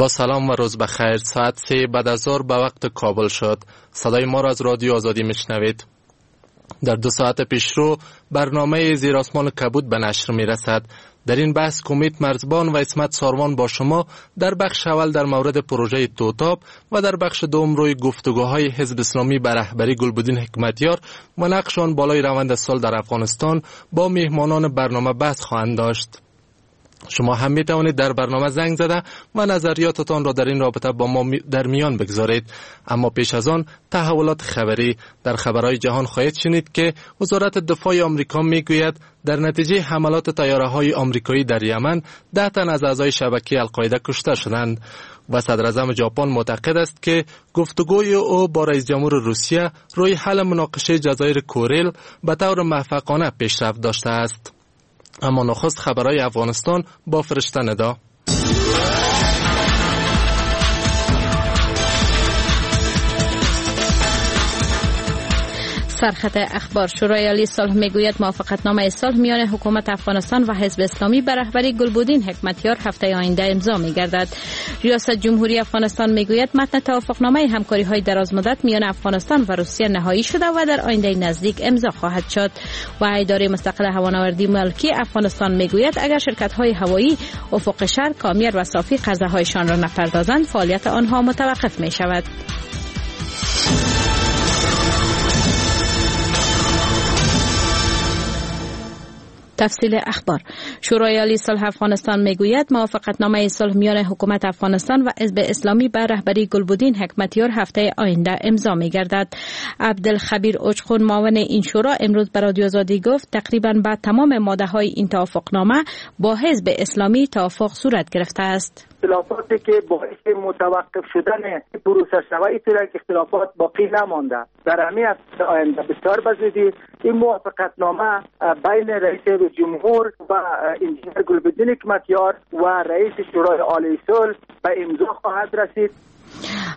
با سلام و روز بخیر. ساعت 3 بعد از ظهر به وقت کابل شد. صدای ما را از رادیو آزادی میشنوید. در 2 ساعت پیشرو برنامه زیر آسمان کبود به نشر میرسد. در این بحث کمیت مرزبان و عصمت ساروان با شما در بخش اول در مورد پروژه توتاب و در بخش دوم روی گفتگوهای حزب اسلامی به رهبری گلبدین حکمتیار و نقش آن بالای روند صلح در افغانستان با میهمانان برنامه بحث خواهند داشت. شما هم می توانید در برنامه زنگ زده و نظریاتتان را در این رابطه با ما در میان بگذارید. اما پیش از آن تحولات خبری. در خبرهای جهان خواهید شنید که وزارت دفاع آمریکا می گوید در نتیجه حملات طیاره های آمریکایی در یمن 10 تن از اعضای شبکه القاعده کشته شدند و صدراعظم ژاپن معتقد است که گفتگوی او با رئیس جمهور روسیه روی حل مناقشه جزایر کوریل به طور موفقانه پیشرفت داشته است. اما نخست خبرهای افغانستان با فرشته ندا. سرخط اخبار. شورای عالی صلح میگوید موافقتنامه صلح میان حکومت افغانستان و حزب اسلامی به رهبری گلبدین حکمتیار هفته آینده امضا میگردد. ریاست جمهوری افغانستان میگوید متن توافقنامه همکاری های درازمدت میان افغانستان و روسیه نهایی شده و در آینده نزدیک امضا خواهد شد. و اداره مستقل هوانوردی ملکی افغانستان میگوید اگر شرکت های هوایی افق شهر، کامیر و صافی قرضه هایشان را نپردازند فعالیت آنها متوقف می شود. تفصیل اخبار. شورای عالی صلح افغانستان میگوید موافقتنامه صلح میان حکومت افغانستان و حزب اسلامی به رهبری گلبدین حکمتیار هفته آینده امضا میگردد. عبدالخبیر اوچخون معاون این شورا امروز به رادیو آزادی گفت تقریبا به تمام ماده های این توافقنامه با حزب اسلامی توافق صورت گرفته است. اختلافاتی که باعث متوقف شدن پروسه شود که اختلافات باقی نمانده. در همین هفته آینده بسیار بزودی این موافقتنامه بین رئیس جمهور و انجینر گلبدین حکمتیار و رئیس شورای عالی صلح به امضا خواهد رسید.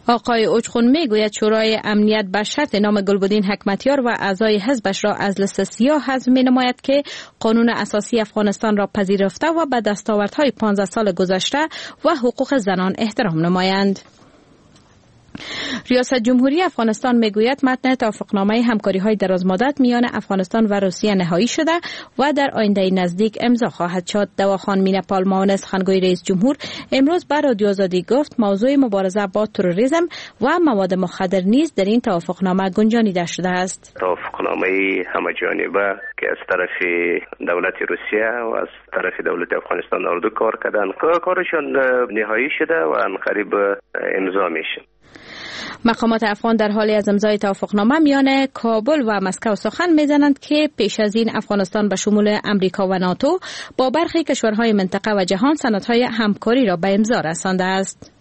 آقای اوچخون میگوید شورای امنیت به شرط نام گلبدین حکمتیار و اعضای حزبش را از لیست سیاه حذف مینماید که قانون اساسی افغانستان را پذیرفته و به دستاوردهای 15 سال گذشته و حقوق زنان احترام نمایند. ریاست جمهوری افغانستان میگوید متن توافقنامه همکاری های درازمدت میان افغانستان و روسیه نهایی شده و در آینده نزدیک امضا خواهد شد. دواخان مینپال معاون سخنگوی رئیس جمهور امروز به رادیو آزادی گفت موضوع مبارزه با تروریسم و مواد مخدر نیز در این توافقنامه گنجانیده شده است. توافقنامه همه جانبه که از طرف دولت روسیه و از طرف دولت افغانستان اردو کار کردن، کارشان نهایی شده و قریب امضا میشه. مقامات افغان در حالی از امضای توافقنامه میان کابل و مسکو سخن میزنند که پیش از این افغانستان به شمول امریکا و ناتو با برخی کشورهای منطقه و جهان سندهای همکاری را به امضا رسانده است.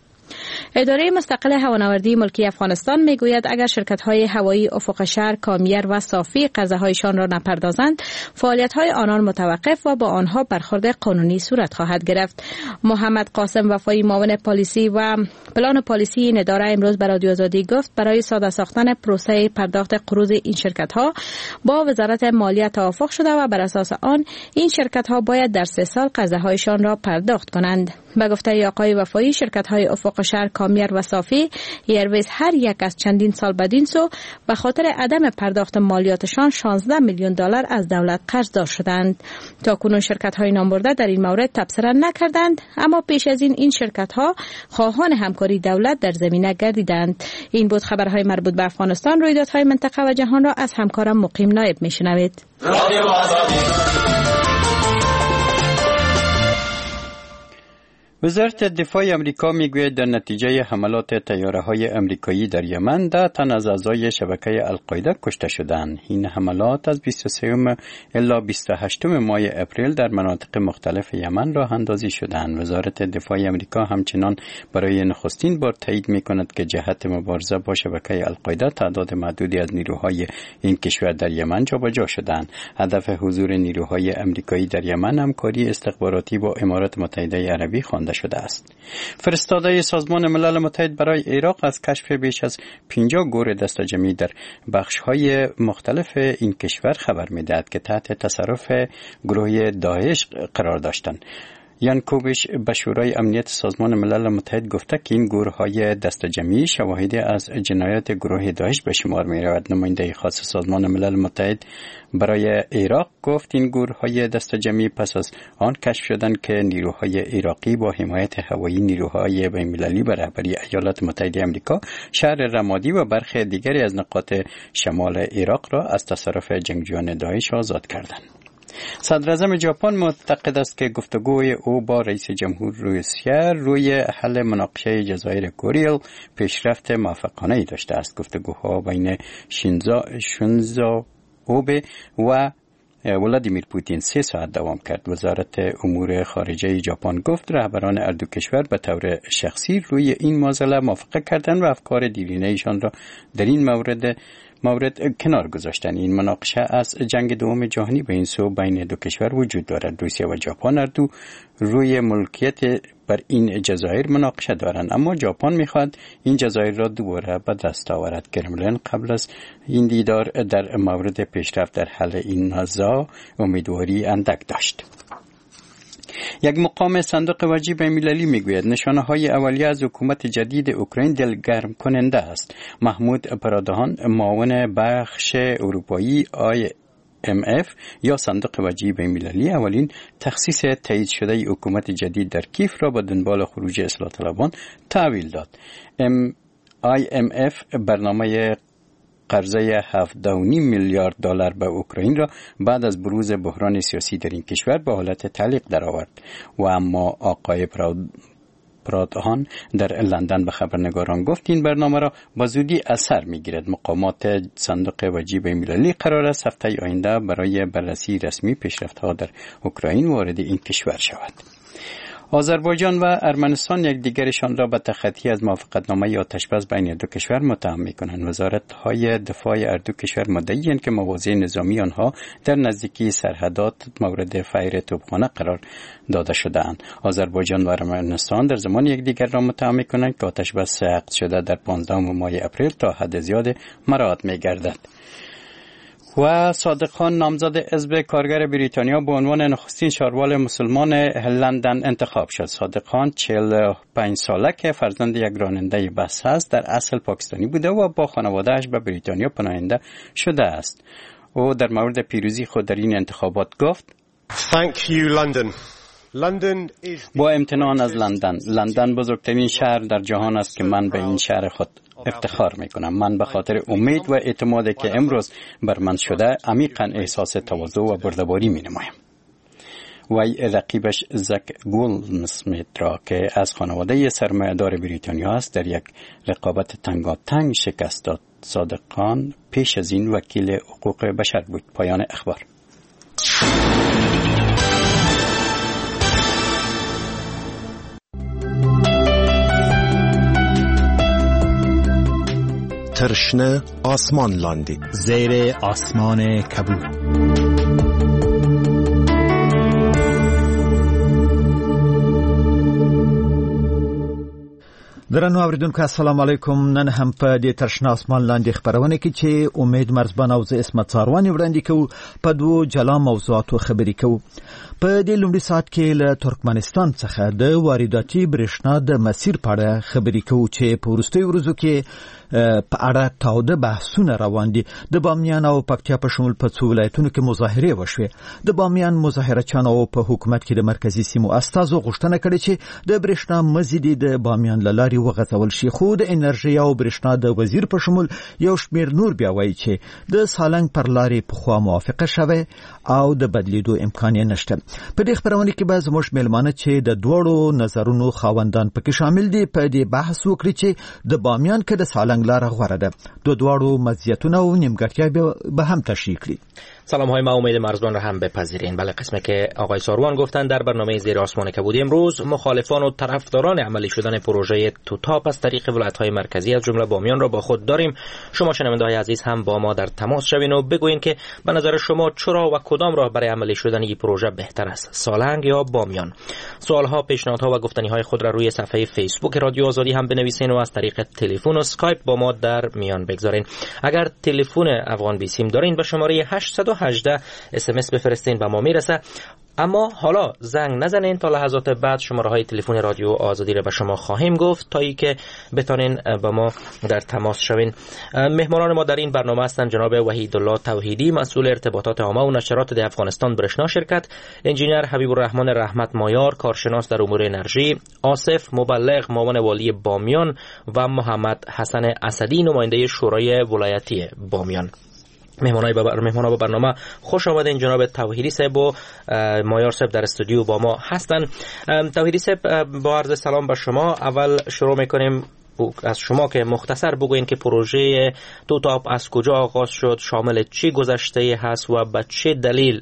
اداره مستقل هوانوردی ملکی افغانستان میگوید اگر شرکت‌های هوایی افق شهر، کامیر و صافی قرضه‌هایشان را نپردازند فعالیت‌های آنان متوقف و با آنها برخورد قانونی صورت خواهد گرفت. محمد قاسم وفایی معاون پالیسی و پلان پالیسی این اداره امروز به رادیو آزادی گفت برای ساده ساختن پروسه پرداخت قروض این شرکت‌ها با وزارت مالیه توافق شده و بر اساس آن این شرکت‌ها باید در 3 سال قرضه‌هایشان را پرداخت کنند. به گفته آقای وفایی شرکت‌های افق شهر، کامیر و صافی ایرویز هر یک از چندین سال بدین سو به خاطر عدم پرداخت مالیاتشان 16 میلیون دلار از دولت قرضدار شدند. تا کنون شرکت‌های نامبرده در این مورد تبصره نکردند، اما پیش از این شرکت‌ها خواهان همکاری دولت در زمینه گردیدند. این بود خبرهای مربوط به افغانستان. رویدادهای منطقه و جهان را از همکارم مقیم نایب میشنوید. وزارت دفاع امریکا میگوید در نتیجه حملات طیاره‌های امریکایی در یمن 10 تن از اعضای شبکه القاعده کشته شدند. این حملات از 23 الی 28 ماه اپریل در مناطق مختلف یمن راه اندازی شدند. وزارت دفاع امریکا همچنان برای نخستین بار تایید میکند که جهت مبارزه با شبکه القاعده تعداد محدودی از نیروهای این کشور در یمن جابجا شدند. هدف حضور نیروهای امریکایی در یمن همکاری استخباراتی با امارات متحده عربی خوانده شده است. فرستاده سازمان ملل متحد برای عراق از کشف بیش از 50 گور دسته‌جمعی در بخش‌های مختلف این کشور خبر می‌دهد که تحت تصرف گروه داعش قرار داشتند. یانکوویچ به شورای امنیت سازمان ملل متحد گفته که این گورهای دست جمعی شواهد از جنایات گروه داعش به شمار می رود. نماینده خاص سازمان ملل متحد برای عراق گفت این گورهای دست جمعی پس از آن کشف شدند که نیروهای عراقی با حمایت هوایی نیروهای بین‌المللی به رهبری ایالات متحده آمریکا شهر رمادی و برخی دیگری از نقاط شمال عراق را از تصرف جنگجویان داعش آزاد کردند. صدراعظم ژاپن معتقد است که گفتگوی او با رئیس جمهور روسیه روی حل مناقشه جزایر کوریل پیشرفت موفقانه داشته است. گفتگوها بین شینزو آبه و ولادیمیر پوتین 3 ساعت دوام کرد. وزارت امور خارجه ژاپن گفت رهبران هر دو کشور به طور شخصی روی این معضله موافقه کردند و افکار دیرینه ایشان را در این مورد کنار گذاشتن. این مناقشه از جنگ دوم جهانی به این سو بین دو کشور وجود دارد. روسیه و ژاپن هر دو روی ملکیت بر این جزایر مناقشه دارند، اما ژاپن میخواهد این جزایر را دوباره به دست آورد. کرملین قبل از این دیدار در مورد پیشرفت در حل این نزاع امیدواری اندک داشت. یک مقام صندوق وجهی بین‌المللی میگوید نشانه های اولیه از حکومت جدید اوکراین دلگرم کننده است. محمود پرادهان معاون بخش اروپایی IMF یا صندوق وجهی بین‌المللی اولین تخصیص تایید شده حکومت جدید در کیف را به دنبال خروج اصلاح طلبان تحویل داد. IMF برنامه قرضه 7.5 میلیارد دلار به اوکراین را بعد از بروز بحران سیاسی در این کشور به حالت تعلیق درآورد و اما آقای پرادهان در لندن به خبرنگاران گفت این برنامه را با زودی اثر میگیرد. مقامات صندوق وجهی بین‌المللی قرار است هفته آینده برای بررسی رسمی پیشرفت‌ها در اوکراین وارد این کشور شود. آذربایجان و ارمنستان یکدیگرشان را به تخطی از موافقتنامه آتش‌بس بین دو کشور متهم می‌کنند. وزارت‌های دفاع هر دو کشور مدعی‌اند که مواضع نظامی آنها در نزدیکی سرحدات مورد فیر توپخانه قرار داده شده‌اند. آذربایجان و ارمنستان در زمان یکدیگر را متهم می‌کنند که آتش‌بس عقد شده در 15 ماه اپریل تا حد زیاد مراعات می‌گردد. و صادق خان نامزد حزب کارگر بریتانیا به عنوان نخستین شاروال مسلمان لندن انتخاب شد. صادق خان 45 ساله که فرزند یک راننده بس است، در اصل پاکستانی بوده و با خانواده‌اش به بریتانیا پناهنده شده است. او در مورد پیروزی خود در این انتخابات گفت: Thank you, London. با امتنان از لندن. لندن بزرگترین شهر در جهان است که من به این شهر خود افتخار میکنم. من به خاطر امید و اعتمادی که امروز بر من شده عمیقا احساس تواضع و بردباری می نمایم. وی رقیبش زک گولدسمیت را که از خانواده سرمایه‌دار بریتانیا است در یک رقابت تنگاتنگ شکست داد. صادق خان پیش از این وکیل حقوق بشر بود. پایان اخبار. تر شنه آسمان لاندې، زیر آسمان کبود. درنو اوریدونکو السلام علیکم. نن هم په دې تر شنه اسمان لاندې خپرونه کې چې امید مرزبان او زه عصمت څاروان وړاندې کوو په دوو جلا موضوعاتو خبرې کوو. په دې لومړي ساعت کې له ترکمنستان څخه د وارداتي برېښنا د مسیر په اړه خبرې کوو چې په وروستیو ورځو کې په اړه تاوده بحثونه روان دي. د بامیان او پکتیا په شمول په څو ولایتونو کې مظاهرې وشوې. د بامیان مظاهره چیانو په حکومت کې د مرکزي سیمو استازو غوښتنه کړې چې د برېښنا مزي دې د بامیان له لارې وغځول شي، خو د انرژۍ او برېښنا د وزیر په شمول یو شمېر نور بیا وایي چې د سالنګ پر لارې پخوا موافقه شوې او د بدلیدو امکان یې نشته. په دې خپرونه کې به زموږ مېلمانه چې د دواړو نظرونو خاوندان پکې شامل دي په دې بحث وکړي چې د بامیان که د سالنګ لاره غوره ده، د دواړو مزیتونه او نیمګړتیا به هم تشریح کړي. سلام های ما امید مرزبان را هم بپذیرین. بله، قسمه که آقای ساروان گفتن در برنامه زیر آسمان کبودی امروز مخالفان و طرفداران عملی شدن پروژه توتاپ از طریق ولایت‌های مرکزی از جمله بامیان را با خود داریم. شما شنونده‌های عزیز هم با ما در تماس شوین و بگویین که به نظر شما چرا و کدام راه برای عملی شدن این پروژه بهتر است، سالنگ یا بامیان؟ سوال‌ها، پیشنهادها و گفتنی‌های خود را روی صفحه فیسبوک رادیو آزادی هم بنویسین و از طریق تلفن و اسکایپ با ما در میان بگذارین. اگر تلفن افغان بیسیم دارین به شماره 18 SMS بفرستین و ما میرسه. اما حالا زنگ نزنین تا لحظات بعد شماره های تلفن رادیو آزادی را به شما خواهیم گفت تا اینکه بتانین با ما در تماس شوین. مهمانان ما در این برنامه هستند جناب وحیدالله توحیدی، مسئول ارتباطات عامه و نشرات در افغانستان برشنا شرکت، انجینیر حبیب الرحمن رحمت مایار، کارشناس در امور انرژی، آصف مبلغ، معاون والی بامیان و محمد حسن اسدی، نماینده شورای ولایتی بامیان. مهمان‌ها به برنامه خوش آمدین. جناب توحیدی صاحب و مایار صاحب در استودیو با ما هستند. توحیدی صاحب، با عرض سلام به شما، اول شروع میکنیم از شما که مختصر بگوین که پروژه توتاپ از کجا آغاز شد، شامل چی گذشته هست و به چه دلیل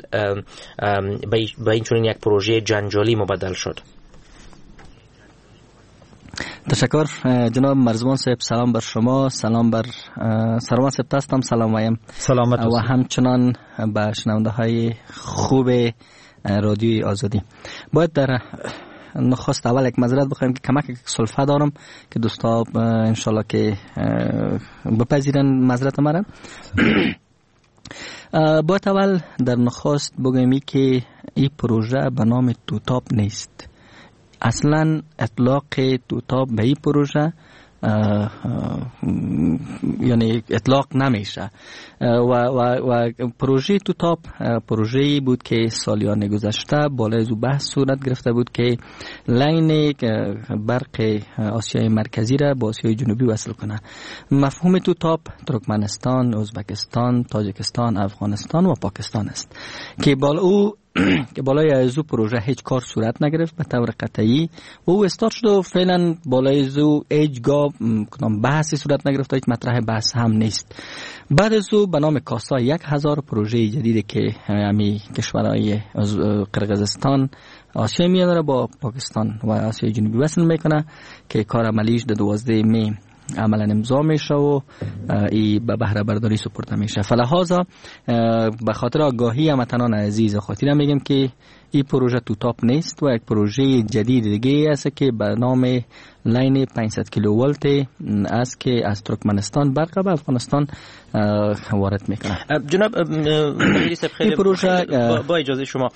به این چنین یک پروژه جنجالی مبدل شد. تشکر جناب مرزبان صاحب، سلام بر شما، سلام بر سروان صاحب هستم، سلام وایم سلامت و همچنان به شنونده های خوب رادیوی آزادی. باید در نخست اول یک معذرت بخوایم که کمک سلفه دارم که دوستا انشالله که بپذیرن معذرت مرا. باید اول در نخست بگویم که این پروژه به نام توتاپ نیست. اصلا اطلاق توتاپ به این پروژه یعنی اطلاق نمیشه و پروژه توتاپ پروژه‌ای بود که سالیان گذشته بالای از او بحث صورت گرفته بود که line برق آسیای مرکزی را با آسیای جنوبی وصل کنه. مفهوم توتاپ ترکمنستان، ازبکستان، تاجیکستان، افغانستان و پاکستان است که که بالای از او پروژه هیچ کار صورت نگرفت به طور قطعی و او استارت شد و فعلا بالای از او هیچگاه کدام بحثی صورت نگرفت، هیچ مطرح بحث هم نیست. بعد از او به نام کاسا 1000 پروژه جدید که همی کشورهای قرقیزستان، آسیای میانه را با پاکستان و آسیای جنوبی وصل میکنه که کار عملیش در 12 می عملا امضا میشه و ای به بهره برداری سپرده میشه. فلهذا به خاطر آگاهی هموطنان عزیز خاطر میگم که این پروژه توتاپ نیست و یک پروژه جدید دیگه است که به نام line 500 کیلو ولت است که از ترکمنستان برق به افغانستان وارد میکنه. جناب خیلی پروژه با اجازه شما،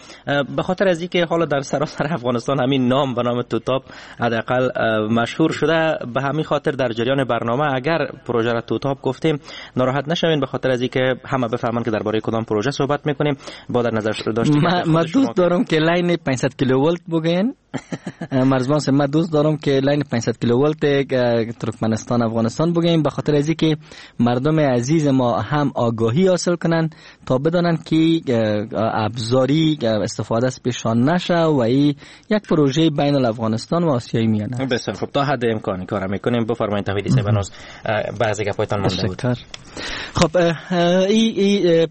به خاطر از اینکه حالا در سراسر افغانستان همین نام به نام توتاپ حداقل مشهور شده، به همین خاطر در جریان برنامه اگر پروژه را توتاپ گفتیم ناراحت نشوین، به خاطر از اینکه همه بفهمن که درباره کدام پروژه صحبت میکنیم. با در نظر داشتیم ما دوست دارم که line 500 کیلو ولت بگین. مرزبان ما دوست دارم که line 500 کیلو ولت ترکمنستان افغانستان بگیم، به خاطر از اینکه مردم عزیز ما هم آگاهی حاصل کنن تا بدانن که ابزاری استفاده از پیشان نشه و این یک پروژه بین الافغانستان و آسیای میانه. بسیار خب، تا حد امکان کار میکنیم. بفرمایید توحیدی صاحب، هنوز بعضی گپایتان مونده بود. خب ای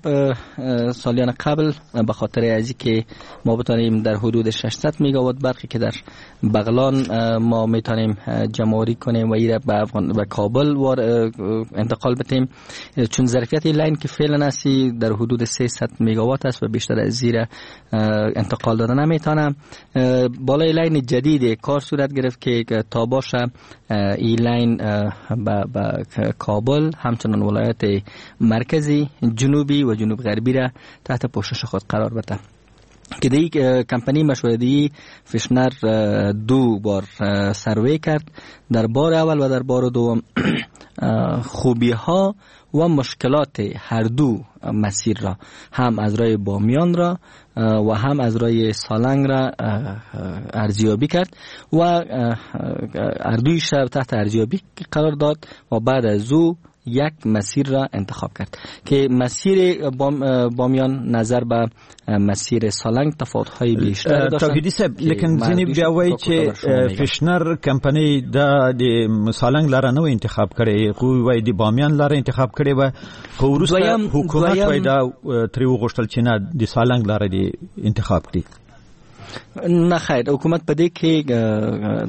سالیان قبل به خاطر از اینکه ما بتانیم در حدود 600 مگاوات برقی که در بغلان ما میتونیم جمع‌آوری کنیم و ایره به به کابل انتقال بدیم، چون ظرفیت line که فعلا هستی در حدود 300 مگاوات است و بیشتر از زیر انتقال داده نمیتونه. بالای line جدید کار صورت گرفت که تا باشه این line به کابل همچنان ولایت مرکزی، جنوبی و جنوب غربی را تحت پوشش خود قرار بده. که دی کمپانی مشورتی فشنر دو بار سروی کرد، در بار اول و در بار دوم خوبی ها و مشکلات هر دو مسیر را، هم از راه بامیان را و هم از راه سالنگ را ارزیابی کرد و هر دویش را تحت ارزیابی قرار داد و بعد از او یک مسیر را انتخاب کرد که مسیر بامیان نظر به مسیر سالنگ تفاوت‌های بیشتر داشت. توحیدی صاحب، لیکن ځینې بیا وایي چې فشنر کمپنۍ دا د سالنګ لاره نه انتخاب کړې، خو وایي د بامیان لاره انتخاب کړې وه، خو وروسته حکومت وایي دا ترې وغوښتل چې نه د سالنګ لاره دې انتخاب کړي. نه خیر، حکومت په دې کې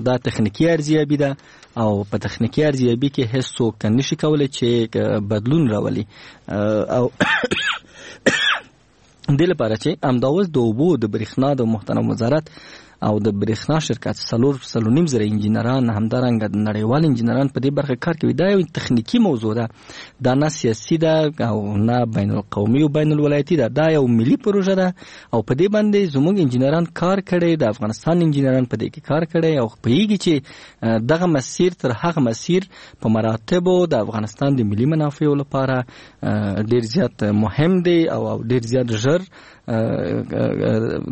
دا تخنیکي ارزیابي ده او په تخنیکي ارزیابي کې هیڅ څوک نشي کولی چې بدلون راولي او دې لپاره چې همدا اوس د اوبو د برېښنا د محترم وزارت او د برېښنا شرکت 4.5 زره انجینران، همدارنګه نړیوال انجینران په دې برخه کار کوي. دا یو تخنیکی موضوع ده، دا نه سیاسي ده او نه بین القومي او بین الولایتي ده، دا یو ملي پروژه ده او په دې باندې زموږ انجینران کار کړي، د افغانستان انجینران په دې کې کار کړي او پوهیږي چې دغه مسیر تر هغه مسیر په مراتبو د افغانستان د ملي منافعو لپاره ډیر زیات مهم دی او ډیر زیات ژر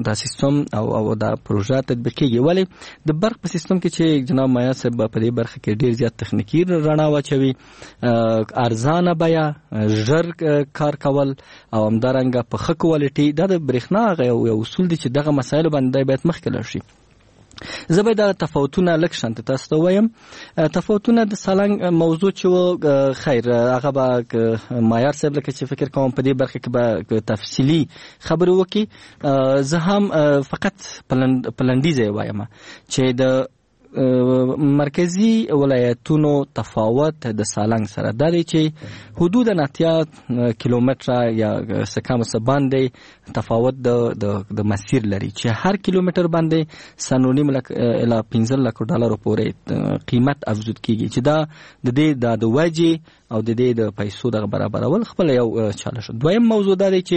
دا سیستم او دا پروژه تطبیقیږي. ولی د برق په سیستم کې چې جناب مایا صاحب په دې برخه کې ډیر زیات تخنیکی رڼا واچوي، ارزانه بیه، ژر کار کول او همدارنګه په ښه کوالټي، دا د برېښنا هغه یو اصول دی چې دغه مسایلو باندې باید مخکې لاړ شي. زه به دا تفاوتونه لږ شانته تاسو ته ووایم. تفاوتونه د سالنګ موضوع چې و، خیر هغه به مایار صاحب لکه چې فکر کوم په دې برخه کې به تفصیلي خبرې وکړي. زه هم فقط په لنډیز یې وایم چې د مرکزی ولایتونو تفاوت د سالنګ سره دا دی چې حدود 80 کیلومتره یا څه کم څه باندې تفاوت د مسیر لري چې هر کیلومتر باندې 3.5 لک الی 15 لک ډالر پورې قیمت افزود کیږي چې دا د دې د وجې او د دې د پیسو دغه برابرول خپل یو چالش. دویم موضوع دا دی چې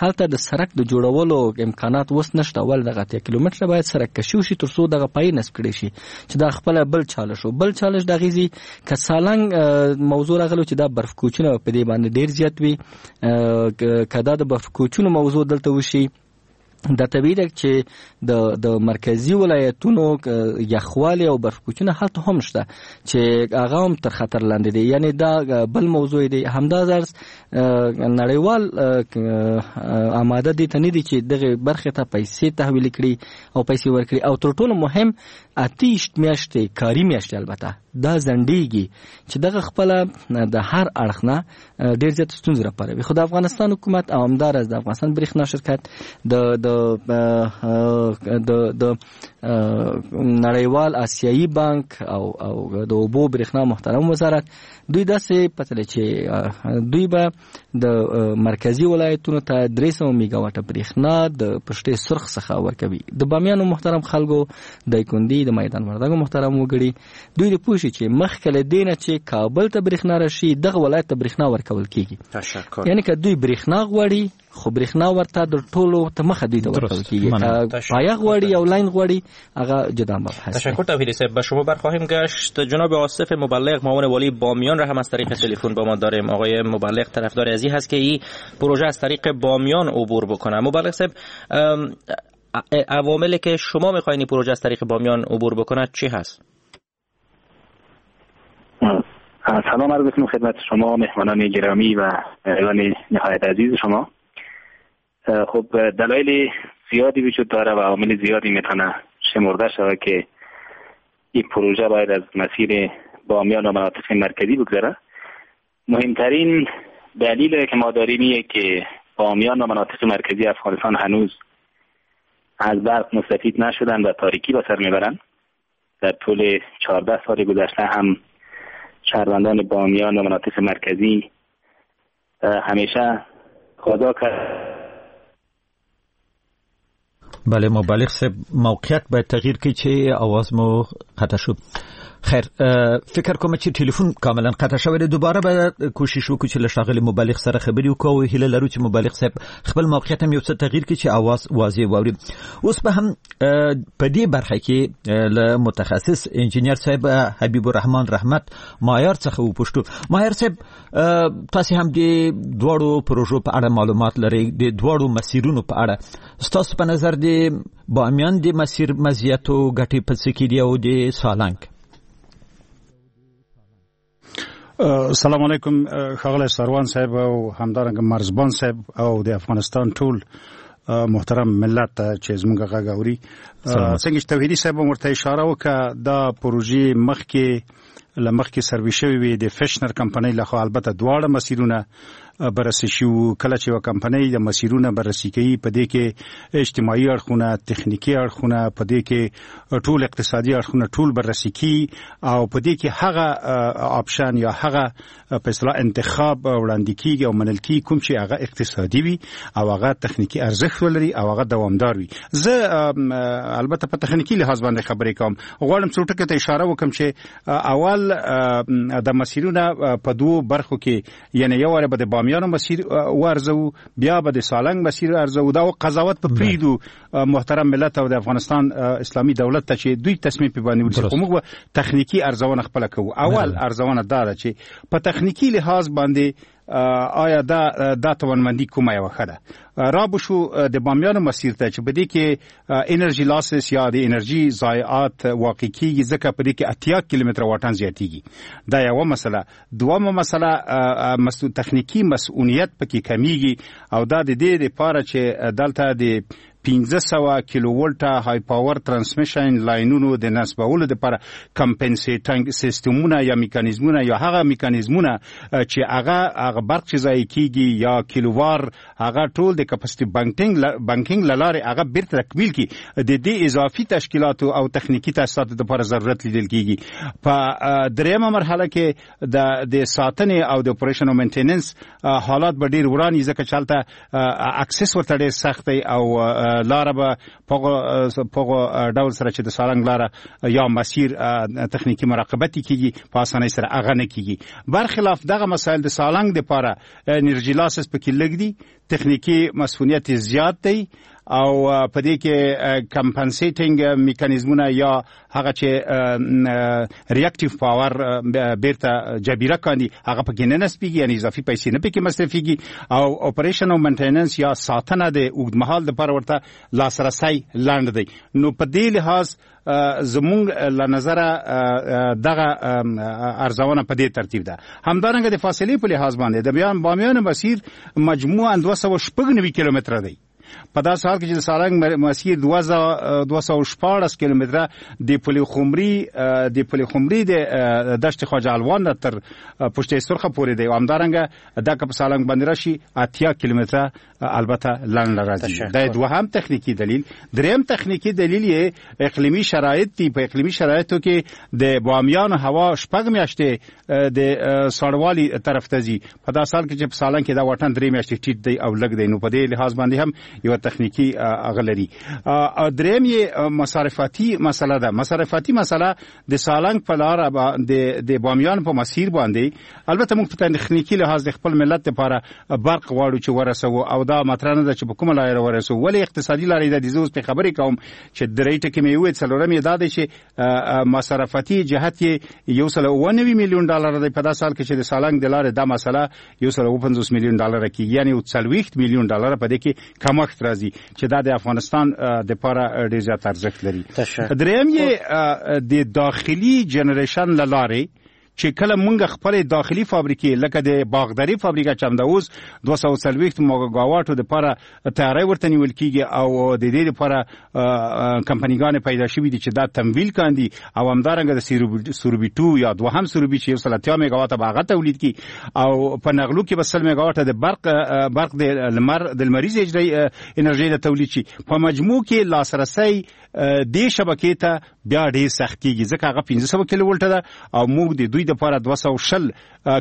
هلته د سرک د جوړولو امکانات اوس نشته، ول دغه 80 کیلومتره باید سرک کشي وشي تر څو دغه پای نصب کړي شي چې دا خپل بل چالش. بل چالش د غیزي که سالنګ موضوع راغلو چې دا برف کوچونه په دې باندې ډیر زیات وي، که دا د برف کوچونو موضوع دلته وشي، دا طبیعي ده چې د مرکزی ولایتونو یخوالی او برف کوچونه هلته هم شته چې هغه هم تر خطر لاندې دي، یعنی دا بل موضوع دی. همدا راز نړیوال آماده دي ته نه دي چې دغه برخې ته پیسې تحویل کړي او پیسې ورکړي. او تر ټولو مهم 28 میاشتې کاري میاشتې البته دا ځنډیږي چې دغه خپله د هر اړخ نه ډیر زیات ستونزې راپاروي. خو د افغانستان حکومت او همداراز د افغانستان برېښنا شرکت د د د د نړیوال آسیایي بانک او د اوبو برېښنا محترم وزارت دوی داسې پتلې چې دوی به د مرکزی ولایتونو ته 300 میگاواټه برېښنا د پشتې سرخ څخه ورکوي. د بامیانو محترم خلکو، د کندي، د میدان وردګو محترم وګړي دوی د پوه شي چې مخکې له دې نه چې کابل ته برېښنا راشي دغه ولایت ته برېښنا ورکول کیږي. تشکر. یعنی که دوی برېښنا غواړي خو برېښنا ورته د ټولو ته مخه دوی ته ورکول کیږي. پایه غواړي او لاین غواړي هغه جدا مبحث. تشکر توحیدی صاحب. به شما برخواهیم گشت. جناب آصف مبلغ معاون والی بامیان را هم از طریق تلفن با ما داریم. آقای مبلغ طرفدار ازی هست که این پروژه از طریق بامیان عبور بکنه. مبلغ صاحب، عواملی که شما میخواین این پروژه از طریق بامیان عبور بکنه چی هست؟ سلام عرض میکنم خدمت شما مهمانان گرامی و مهمانان نهایت عزیز شما. خب دلایل زیادی وجود داره و عوامل زیادی میتونه شمرده شود که این پروژه باید از مسیر بامیان و مناطق مرکزی بگذره. مهمترین دلیل که ما داریم اینه که بامیان و مناطق مرکزی افغانستان هنوز از برق مستفید نشدن و تاریکی به سر میبرن. در طول 14 سال گذشته هم شهروندان بامیان و مناطق مرکزی همیشه خدا کرد. بله مبلغ صاحب، موقعیت باید تغییر کړي چې اواز مو قطع شو. خیر، فکر کوم چې ټلیفون کاملا قطع شوی دی. دوباره به کوشش وکړو چې له ښاغلي مبلغ سره خبرې وکړو او هیله لرو چې مبلغ صاحب خپل موقعیت هم یو څه تغییر کړي چې اواز واضح واوري. اوس به هم په دې برخه کې له متخصص انجینر صاحب حبیب الرحمن رحمت مایار څخه وپوښتو. مایار صاحب، تاسو هم د دواړو پروژو په اړه معلومات لرئ، د دواړو مسیرونو په اړه ستاسو په نظر د بامیان د مسیر مزیت او ګټې په څه کې دي او د سالنګ؟ سلام علیکم ښاغلی سروان صاحب او همدارنګه مرزبان صاحب او د افغانستان ټول محترم ملت ته چې زموږ غږ اوري. څنګه چې توحیدي صاحب ورته اشاره وکړه، دا پروژې مخکې له مخکې سروي شوې وي د فشنر کمپنۍ لخوا. البته دواړه مسیرونه بررسي شو. کله چې یو کمپنۍ د مسیرونه بررسي کوي، په دې کې اجتماعي اړخونه، تخنیکي اړخونه، په دې کې ټول اقتصادي اړخونه ټول بررسي کوي او په دې کې هغه option یا هغه په اصطلاح انتخاب وړاندې کیږي او منل کیږي کوم چې هغه اقتصادي وي او هغه تخنیکي ارزښت ولري او هغه دوامدار وي. زه البته په تخنیکي لحاظ باندې خبرې کوم. غواړم څو ټکو ته اشاره وکم چې اول د مسیرونه په دوو برخو کې، یعنی یو واره به د بامیانو مسیر وارزو، بیا به د سالنګ مسیر ارزو. دا قضاوت په پریدو محترم ملت او د افغانستان اسلامي دولت ته چې دوی تصمیم په باندې ونیسي، خو موږ به تخنیکي ارزونه خپله کوو. اول ارزونه دا ده چې په تخنیکي لحاظ باندې آیا دا توانمندي کومه یوه ښه ده. را به شو د بامیانو مسیر ته چې په دې کې انرژي losses یا د انرژي ضایعات واقع کیږي، ځکه په دې کې 80 کیلومتره واټن زیاتیږي. دا یوه مسله. دومه مسله تخنیکي مسؤلیت پکې کمیږي او دا د دې لپاره چې دلته د 500 کیلو ولټه high power transmission لاینونو د نصبولو لپاره compensating سیستمونه یا میکانیزمونه یا هغه میکانیزمونه چې هغه برق چې ضایع کیږي یا کیلووار هغه ټول د capacity banking له لارې هغه بیرته تکمیل کړي، د دې اضافي تشکیلاتو او تخنیکي تاسیساتو لپاره ضرورت لیدل کیږي. په دریمه مرحله کې د ساتنې او د operation او maintenance حالات به ډیر وران وي، ځکه چې هلته access ورته ډیر سخت دی او لاره به په ډول سره چې د سالنګ لاره یا مسیر تخنیکي مراقبت کیږي په اسانۍ سره هغه نه کیږي. برخلاف دغه مسایل د سالنګ لپاره انرژي losses پکې لږ دي، تخنیکي مسؤلیت زیات دی او په دې کې compensating میکانیزمونه یا هغه چې reactive power بیرته جبیره کاندي هغه پکې نه نصبیږي، یعنی اضافي پیسې نه پکې مصرفیږي او operation او maintenance یا ساتنه د اوږدمهال لپاره ورته لاسرسی لنډ دی. نو په دې لحاظ زمونږ له نظره دغه ارزونه په دې ترتیب ده. همدارنګه د فاصلې په لحاظ باندې د بامیانو مسیر مجموعاً 296 کیلومتره دی، په داسې حال کې چې د سالنګ مسیر 216 کیلومتره د پل خمري د دشت خواجه الوان نه تر پشت سرخه پورې دی او همدارنګه دا که په سالنګ باندې راشي 80 کیلومتره البته لنډ راځي. دا دوهم تخنیکي دلیل. دریم تخنیکي دلیل یې اقلیمي شرایط دي. په اقلیمي شرایطو کې د بامیانو هوا 6 میاشتې د ساړوالي طرف ته ځي، په داسې حال کې چې په سالنګ کې دا واټن 3 میاشتې ټیټ دی او لږ دی، نو په دې لحاظ باندې هم یو تخنیکي هغه لري. دریم یې مصارفاتي مسله ده. مصارفاتي مسله د سالنګ په لاره د بامیان په مسیر باندې البته موږ په تخنیکي لحاظ د خپل ملت لپاره برق غواړو چې ورسوو او دا مطرح نه ده چې په کومه لاره ورسوو، ولې اقتصادي لارې ده. زه اوس په خبرې کوم چې درې ټکي مې وویل، څلورم یې دا دی چې مصارفاتي جهت یې 190 میلیون ډالر دی، په داسې حال کې چې د سالنګ د لارې دا مسله 150 میلیون ډالر کېږي، یعنې 40 میلیون ډالر په دې کې کمښت راځي چې دا د افغانستان دپاره ډېر زیات ارزښت لري. دریم یې د داخلي generation له لارې چې کله مونږ خپل داخلي فابریکې لکه د باغداري فابریکه چې همدا اوس 240 میګاواټو دپاره تیاری ورته نیول کیږي او د دې لپاره کمپنیګانې پیدا شوې دي چې دا تمویل کاندي او همدارنګه د سوربي 2 یا دوهم سوربي چې 180 میګاواټه به هغه تولید کړي او په نغلو کې به 100 میګاواټه د برق د لمر د لمریزې انرژۍ د تولید شي. په مجموع کې لاسرسی دې شبکې ته بیا ډېر سخت کیږي، ځکه هغه 500 کیلو ولټه ده او موږ د دوی دپاره 220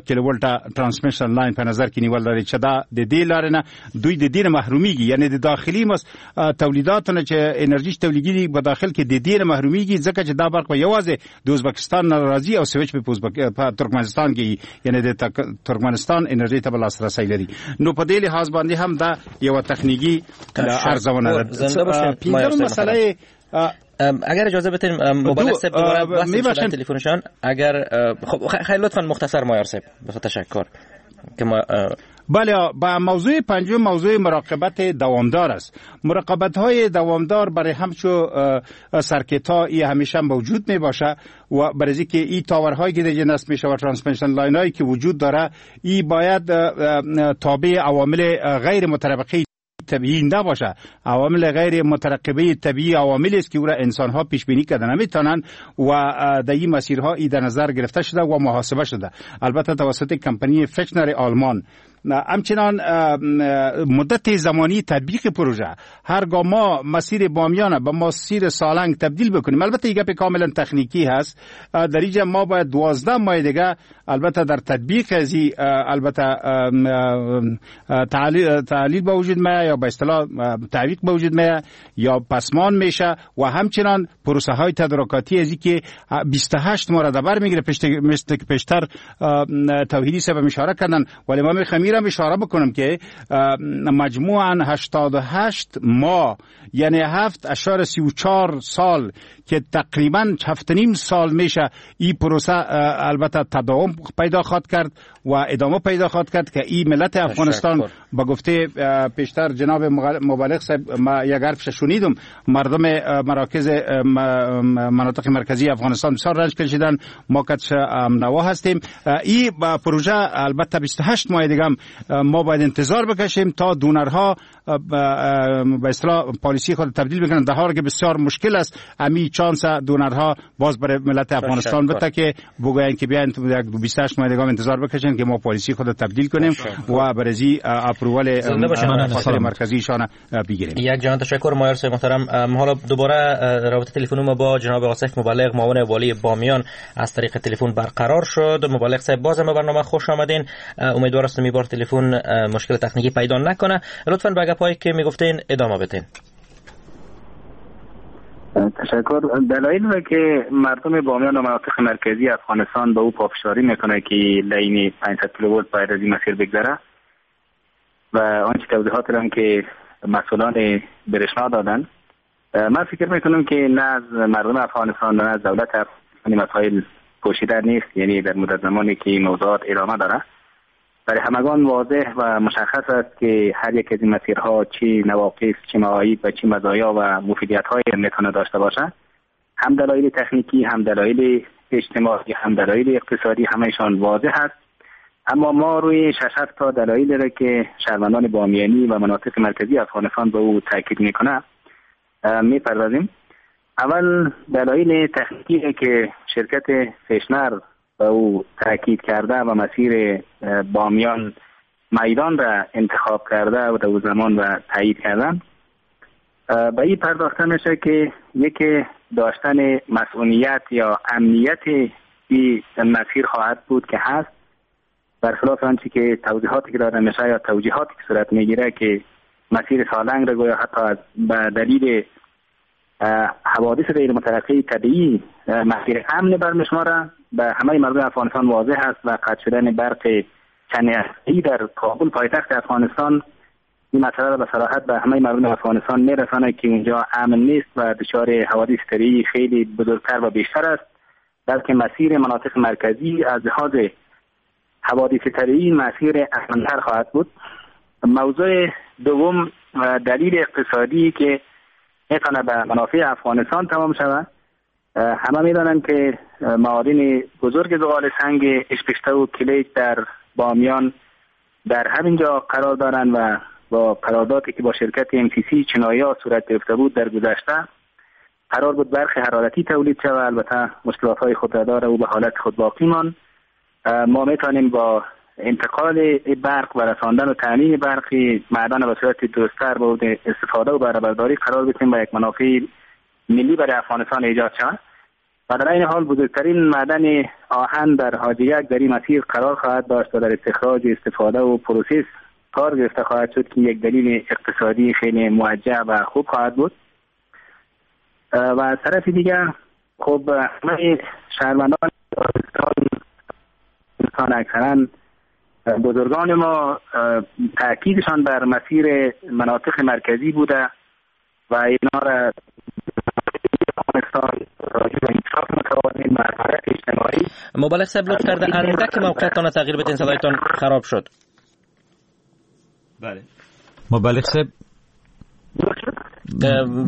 کیلو ولټه transmission line په نظر کې نیول لري چې دا د دې لارې نه دوی د دې نه محرومیږي، یعنی د داخلي تولیداتو نه چې انرژي تولیدېږي په داخل کې د دې نه محرومیږي، ځکه چې دا برق به یوازې د ازبکستان نه راځي او سویچ به په ترکمنستان کې، یعنی د ترکمنستان انرژي ته به لاسرسی لري. نو په دې لحاظ باندې هم دا یوه تخنیکي ارزونه ده. پنځمه مسله اگر اجازه بدین مبارک صاحب دوباره وصل شدن تلفنشان، اگر خب خیلی لطفا مختصر مایار صاحب تشکر که ما بله. با موضوع پنجم موضوع مراقبت دوامدار است. مراقبت های دوامدار برای همچو circuit ها ای همیشه موجود می باشه و برای اینکه این tower هایی که دیگه نصب میشه و transmission line هایی که وجود داره ای باید تابع عوامل غیر مترقبه طبیعی نباشه. عوامل غیر مترقبه طبیعی عواملی است که او را انسان ها پیش بینی کرده نمیتونن و در این مسیرها ای در نظر گرفته شده و محاسبه شده، البته توسط کمپانی فچنر آلمان. همچنان مدت زمانی تطبیق پروژه، هرگاه ما مسیر بامیان به مسیر سالنگ تبدیل بکنیم، البته این گپ کاملا تکنیکی هست، در اینجا ما باید 12 ماه دیگه البته در تطبیق از البته تعلیل به وجود میاد یا به اصطلاح تعویق به وجود میاد یا پسمان میشه و همچنان پروسه های تدارکاتی از که 28 ماه را در بر میگیره، پیشتر توحیدی صاحب اشاره کردن، ولی ما میخوام میرم اشاره بکنم که مجموعاً 88 ماه یعنی 7.34 سال که تقریبا 7.5 سال میشه این پروسه البته تداوم پیدا خواهد کرد و ادامه پیدا خواهد کرد که این ملت افغانستان با گفته پیشتر جناب مبلغ صاحب ما یک حرفش شنیدم، مردم مراکز مناطق مرکزی افغانستان بسیار رنج کشیدن، ما کتش نوا هستیم. این پروژه البته 28 ماه دیگه ما باید انتظار بکشیم تا دونرها به اصطلاح پالیسی خود تبدیل بکنن، در حالی که بسیار مشکل است امی چانس دونرها باز برای ملت افغانستان بده که بگوین که بیاین 28 ماه دیگه انتظار بکشین که ما پالیسی خود تبدیل کنیم و برزی اپروول خاطر مرکزی شان بگیریم. یک جان تشکر مایار صاحب محترم. حالا دوباره رابطه تلفن ما با جناب آصف مبلغ معاون والی بامیان از طریق تلفن برقرار شد. مبلغ صاحب بازم به برنامه خوش آمدین. امیدوار هستم این بار تلفن مشکل تکنیکی پیدا نکنه. لطفاً به گپایی که میگفتین ادامه بدین. تشکر. دلایل را که مردم بامیان و مناطق مرکزی افغانستان به او پافشاری میکنه که لین 500 کیلوولت باید از این مسیر بگذره و آنچه توضیحات را که مسئولان برشنا دادن، من فکر میکنم که نه از مردم افغانستان نه از دولت افغانستان مسائل پوشیده نیست، یعنی در مدت زمانی که این موضوعات ادامه داره برای همگان واضح و مشخص است که هر یک از این مسیرها چه نواقص، چه معایب و چه مزایا و مفیدیت‌های میتونه داشته باشه. هم دلایل تکنیکی، هم دلایل اجتماعی، هم دلایل اقتصادی، همه‌شان واضح است. اما ما روی 6-7 تا دلایل را که شهروندان بامیانی و مناطق مرکزی افغانستان به او تاکید میکنه میپردازیم. اول دلایل تکنیکی که شرکت فشنر به او تاکید کرده و مسیر بامیان میدان را انتخاب کرده و در او زمان و تایید کردن، به این پرداخته میشه که یکی داشتن مسئولیت یا امنیت این مسیر خواهد بود که هست، برخلاف آنچه که توضیحاتی که داده میشه یا توجیهاتی که صورت میگیره که مسیر سالنگ را گویا حتی به دلیل حوادث غیر مترقی طبیعی مسیر امن برمیشماره، به همه مردم افغانستان واضح است و قطع شدن برق چند هفته‌ای در کابل پایتخت افغانستان این مسئله را به صراحت به همه مردم افغانستان میرسانه که اونجا امن نیست و دچار حوادث طبیعی خیلی بزرگتر و بیشتر است، بلکه مسیر مناطق مرکزی از لحاظ حوادث طبیعی مسیر امن‌تر خواهد بود. موضوع دوم دلیل اقتصادی که میتونه به منافع افغانستان تمام شود. همه میدانند که معادن بزرگ زغال سنگ اشپشته و کلیت در بامیان در همینجا قرار دارند و با قراردادی که با شرکت MCC چنایا صورت گرفته بود در گذشته قرار بود برق حرارتی تولید شود، البته مشکلات های خود را داره و به حالت خود باقی ماند. ما میتونیم با انتقال برق و رساندن و تامین برق معدن به صورت درست‌تر به استفاده و بهره‌برداری قرار بدیم و یک منافع ملی برای افغانستان ایجاد شود. و در این حال بزرگترین معدن آهن در حاجیک در این مسیر قرار خواهد داشت و در استخراج، استفاده و process کار گرفته خواهد شد که یک دلیل اقتصادی خیلی موجه و خوب خواهد بود. و از طرف دیگر خب همه شهروندان اکثرا بزرگان ما تاکیدشان بر مسیر مناطق مرکزی بوده و اینا را مبلغ صاحب لطف کرده اندک موقعیتان تغییر بدین، صدایتان خراب شد. بله مبلغ صاحب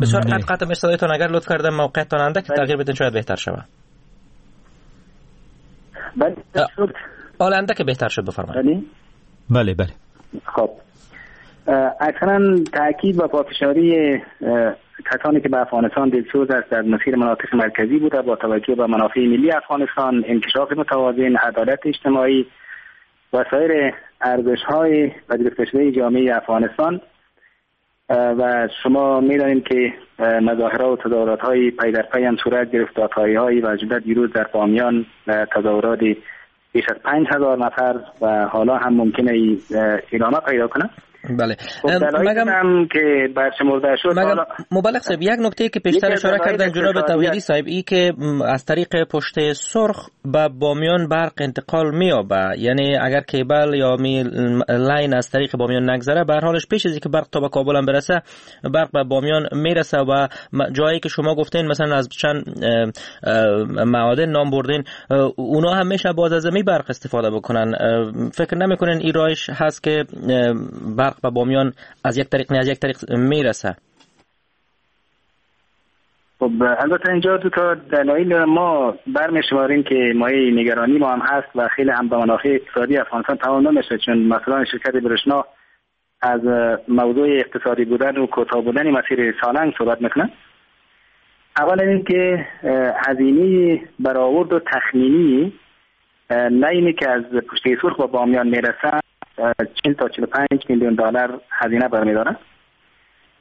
بسیار قطع قطع صدایتان، اگر لطف کرده موقعیتان اندک تغییر بدین شاید بهتر شود. بله حالا اندک بهتر شد، بفرمایید. بله بله. خب اکثرا تاکید و پافشاری کسانی که به افغانستان دلسوز است در مسیر مناطق مرکزی بوده با توجه به منافع ملی افغانستان، انکشاف متوازن، عدالت اجتماعی و سایر ارزش‌های پذیرفته شده جامعه افغانستان و شما می‌دانید که مظاهره و تظاهرات‌های پی در پی هم صورت گرفت، دادخواهی‌های و جمله دیروز در بامیان تظاهرات بیش از 5000 نفر و حالا هم ممکنه ادامه پیدا کنه. بله، مگم که برشمرده شد. مبلغ صاحب، یک نکته که پیشتر اشاره کردن جناب توحیدی صاحب، ای که از طریق پشت سرخ به بامیان برق انتقال می‌یابه، یعنی اگر کیبل یا می line از طریق بامیان نگذره، به هر حالش پیش از اینکه برق تا به کابل هم برسه، برق به بامیان میرسه و جایی که شما گفتین مثلا از چند معادن نام بردین، اونا هم میشه باز از می برق استفاده بکنن. فکر نمی‌کنین این رایش هست که برق به بامیان از یک طریق نه از یک طریق میرسه؟ خب البته اینجا دو تا دلایل ما برمی‌شماریم که مایه نگرانی ما هم هست و خیلی هم به منافع اقتصادی افغانستان تمام نمیشه، چون مثلا شرکت برشنا از موضوع اقتصادی بودن و کوتاه بودن مسیر سالنگ صحبت میکنه. اولا اینکه هزینه برآورد و تخمینی لاینی که از پشته سرخ به بامیان میرسه 40 تا 45 میلیون دلار هزینه برمی‌داره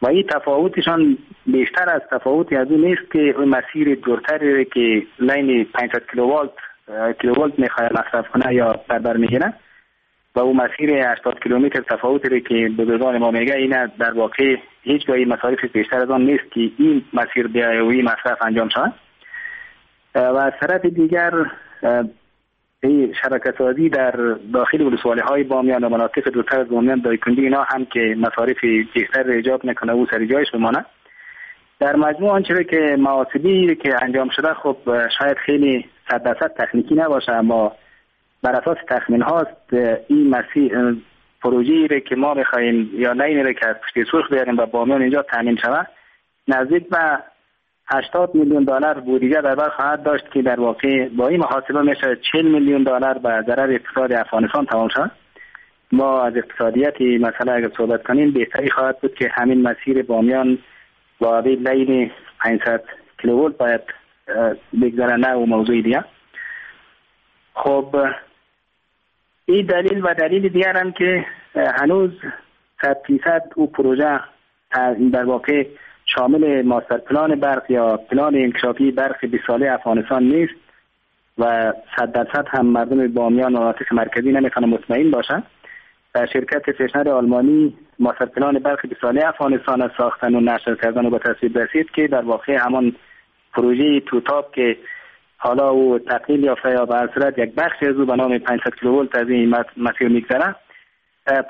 و این تفاوتشان بیشتر از تفاوتی از اون نیست که اون مسیر دورتری که line 500 کیلوولت میخواد مصرف کنه یا بر میگیره و اون مسیر 80 کیلومتر تفاوتی که بزرگان ما میگه، این در واقع هیچ گاهی مصارف بیشتر از آن نیست که این مسیر بیایه و این مصرف انجام شود. و از طرف دیگر این شبکه سازی در داخل ولسوالی های بامیان و مناطق دورتر از بامیان، دایکندی اینا هم که مصارف بیشتر ایجاب میکنه و سر جایش بمانه. در مجموع آنچه که محاسبه‌ای که انجام شده، خب شاید خیلی 100% تکنیکی نباشه، اما بر اساس تخمین هاست این مسیر پروژه‌ای که ما می‌خواهیم یا line که از پشت سرخ بیاریم و بامیان اینجا تامین شود، نزدیک به 80 میلیون دلار بودجه در بر خواهد داشت که در واقع با این محاسبه میشه 40 میلیون دلار به ضرر اقتصاد افغانستان تمام شد. ما از اقتصادیت مسئله اگر صحبت کنیم، بهتری خواهد بود که همین مسیر بامیان با line 500 کیلوولت باید بگذره، نه و موضوع دیگه. خب این دلیل و دلیل دیگر هم که هنوز 100% او پروژه در واقع شامل master plan برق یا پلان انکشافی برق 20 ساله افغانستان نیست و 100% هم مردم بامیان و مناطق مرکزی نمیتونن مطمئن باشند. شرکت فشنر آلمانی master plan برق 20 ساله افغانستان را ساختن و نشر کردن و به تصویب رسید که در واقع همان پروژه توتاپ که حالا او تقلیل یافته یا به هر صورت یک بخش از او به نام 500 کیلوولت از این مسیر میگذره،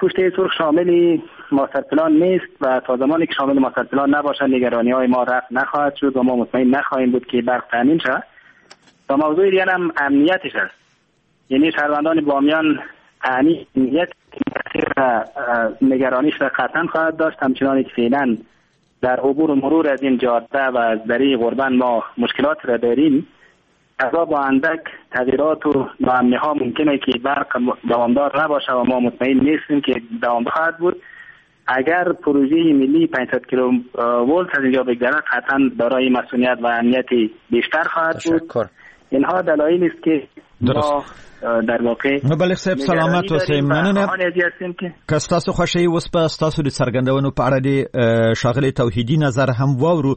پشت سرخ شامل master plan نیست و تا زمانی که شامل master plan نباشد نگرانی های ما رفع نخواهد شد و ما مطمئن نخواهیم بود که برق تامین شود. و موضوع دیگر هم امنیتش است، یعنی شهروندان بامیان امنیت نگرانیش را قطعا خواهد داشت، همچنان که فعلا در عبور و مرور از این جاده و از دره غربن ما مشکلات را داریم. ازا با اندک تغییرات و ناامنی ها ممکنه که برق دوامدار نباشه و ما مطمئن نیستیم که دوام خواهد بود. اگر پروژه ملی 500 کیلو ولت از اینجا بگذرد، قطعا دارای مسئولیت و امنیت بیشتر خواهد بود. اینها دلایلی است که ما در واقع مبلغ صاحب سلامت اوسئ، مننه که ستاسو خوښه یې. اوس به ستاسو د څرګندونو په اړه د ښاغلي توحیدي نظر هم واورو.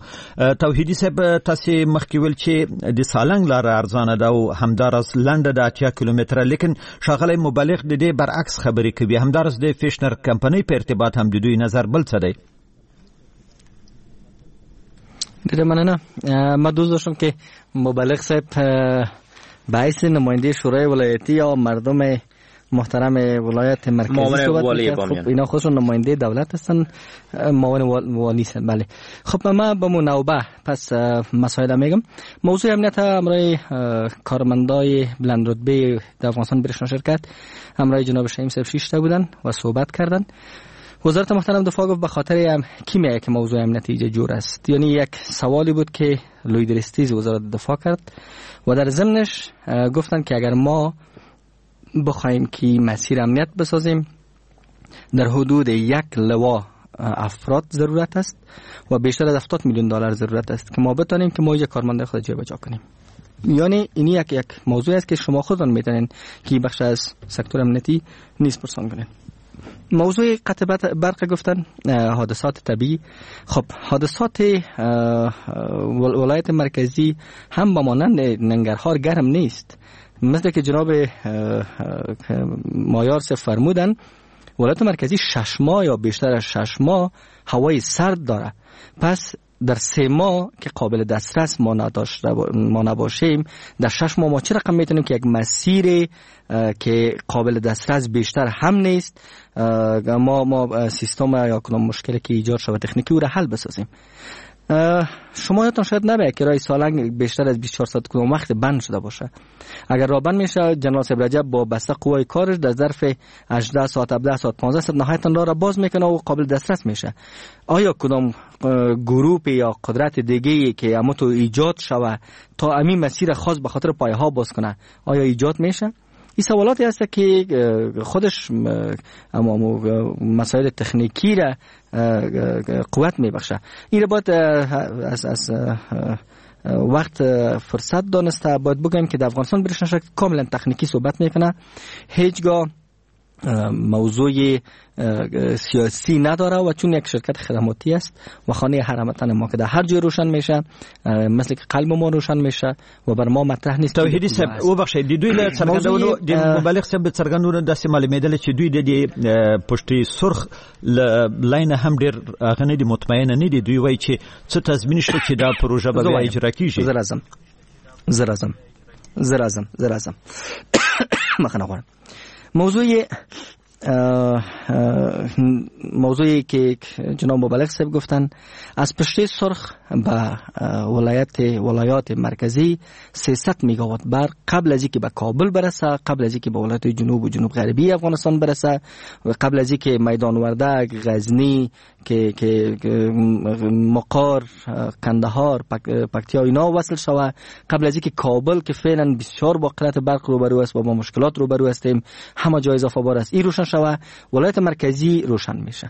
توحیدي صاحب، تاسو مخکې ویل چې د سالنګ لاره ارزانه ده او همداراز لنډه ده، 80 کیلومتره، لیکن ښاغلی مبلغ د دې برعکس خبرې کوي. همداراز د فیشنر کمپنۍ په ارتباط هم د دوی نظر بل څه دی. ډیره مننه. ما دوست داشتم که مبلغ صاحب به حیث نماینده شورای ولایتی یا مردم محترم ولایت مرکزی صحبت می‌کرد. خب اینا خودشون نماینده دولت هستن، معاون والی هستن. بله، خب ما با منوبه پس مسائل میگم. موضوع امنیت همراه کارمندای بلند رتبه در افغانستان برشنا شرکت همراه جناب شهیم صاحب شیشته بودن و صحبت کردن. وزارت محترم دفاع گفت به خاطر هم کی میگه که موضوع امنیتی جور است، یعنی یک سوالی بود که لوی درستیز وزارت دفاع کرد و در ضمنش گفتن که اگر ما بخواهیم که مسیر امنیت بسازیم در حدود یک لوا افراد ضرورت است و بیشتر از 70 میلیون دلار ضرورت است که ما بتانیم که ما یک کارمند خود جابجا کنیم. یعنی این یک موضوع است که شما خودتان میتونین که بخش از سکتور امنیتی نیز پرسان کنین. موضوع قطع برق گفتن، حادثات طبیعی. خب حادثات ولایت مرکزی هم به مانند ننگرهار گرم نیست. مثل که جناب مایار فرمودن، ولایت مرکزی 6 ماه یا بیشتر از 6 ماه هوای سرد داره. پس در 3 ماه که قابل دسترس ما نباشیم، در 6 ماه ما چه رقم میتونیم که یک مسیر که قابل دسترس بیشتر هم نیست، ما سیستم یا کدام مشکلی که ایجاد شده تکنیکی او را حل بسازیم. شما یادتان شاید نباید که راه سالنگ بیشتر از 24 ساعت کدام وقت بند شده باشه. اگر راه بند میشه، جنرال صاحب رجب با بسته قوای کارش در ظرف 18 ساعت، 17 ساعت، 15 ساعت نهایتا راه را باز میکنه و قابل دسترس میشه. آیا کدام گروپ یا قدرت دیگه که اما تو ایجاد شوه تا امی مسیر خاص به خاطر پایه ها باز کنه، آیا ایجاد میشه؟ این سوالاتی هست که خودش مسائل تکنیکی را قوت میبخشه. این را باید از وقت فرصت دانسته باید بگم که در افغانستان برشنا شرکت کاملا تکنیکی صحبت میکنه، هیچگاه موضوع سیاسی نداره و چون یک شرکت خدماتی است و خانه هر هموطن ما که در هر جای روشن میشه، مثل که قلب ما روشن میشه و بر ما مطرح نیست. توحیدی صاحب وبخښئ، د دوی له څرګندونو، د مبلغ صاحب څرګندونو داسې معلومېدل چې دوی د دې پشتي سرخ لاین هم ډېر هغه نه دي، مطمئن نه دي. دوی وایي چې څه تضمین شته چې دا پروژه به بیا اجرا کیږي؟ زه راځم مخنه غواړم. موضوعی که جناب مبلغ صاحب گفتن، از پشته سرخ به ولایات مرکزی 300 مگاوات برق قبل از اینکه به کابل برسه، قبل از اینکه به ولایت جنوب و جنوب غربی افغانستان برسه و قبل از اینکه میدان وردک، غزنی، که مقار، قندهار، پکتیا اینا وصل شوه، قبل از اینکه کابل که فعلا بسیار با قلت برق روبرو است و با مشکلات روبرو هستیم، همه جای اضافه بار است، این روشن شوه، ولایت مرکزی روشن میشه.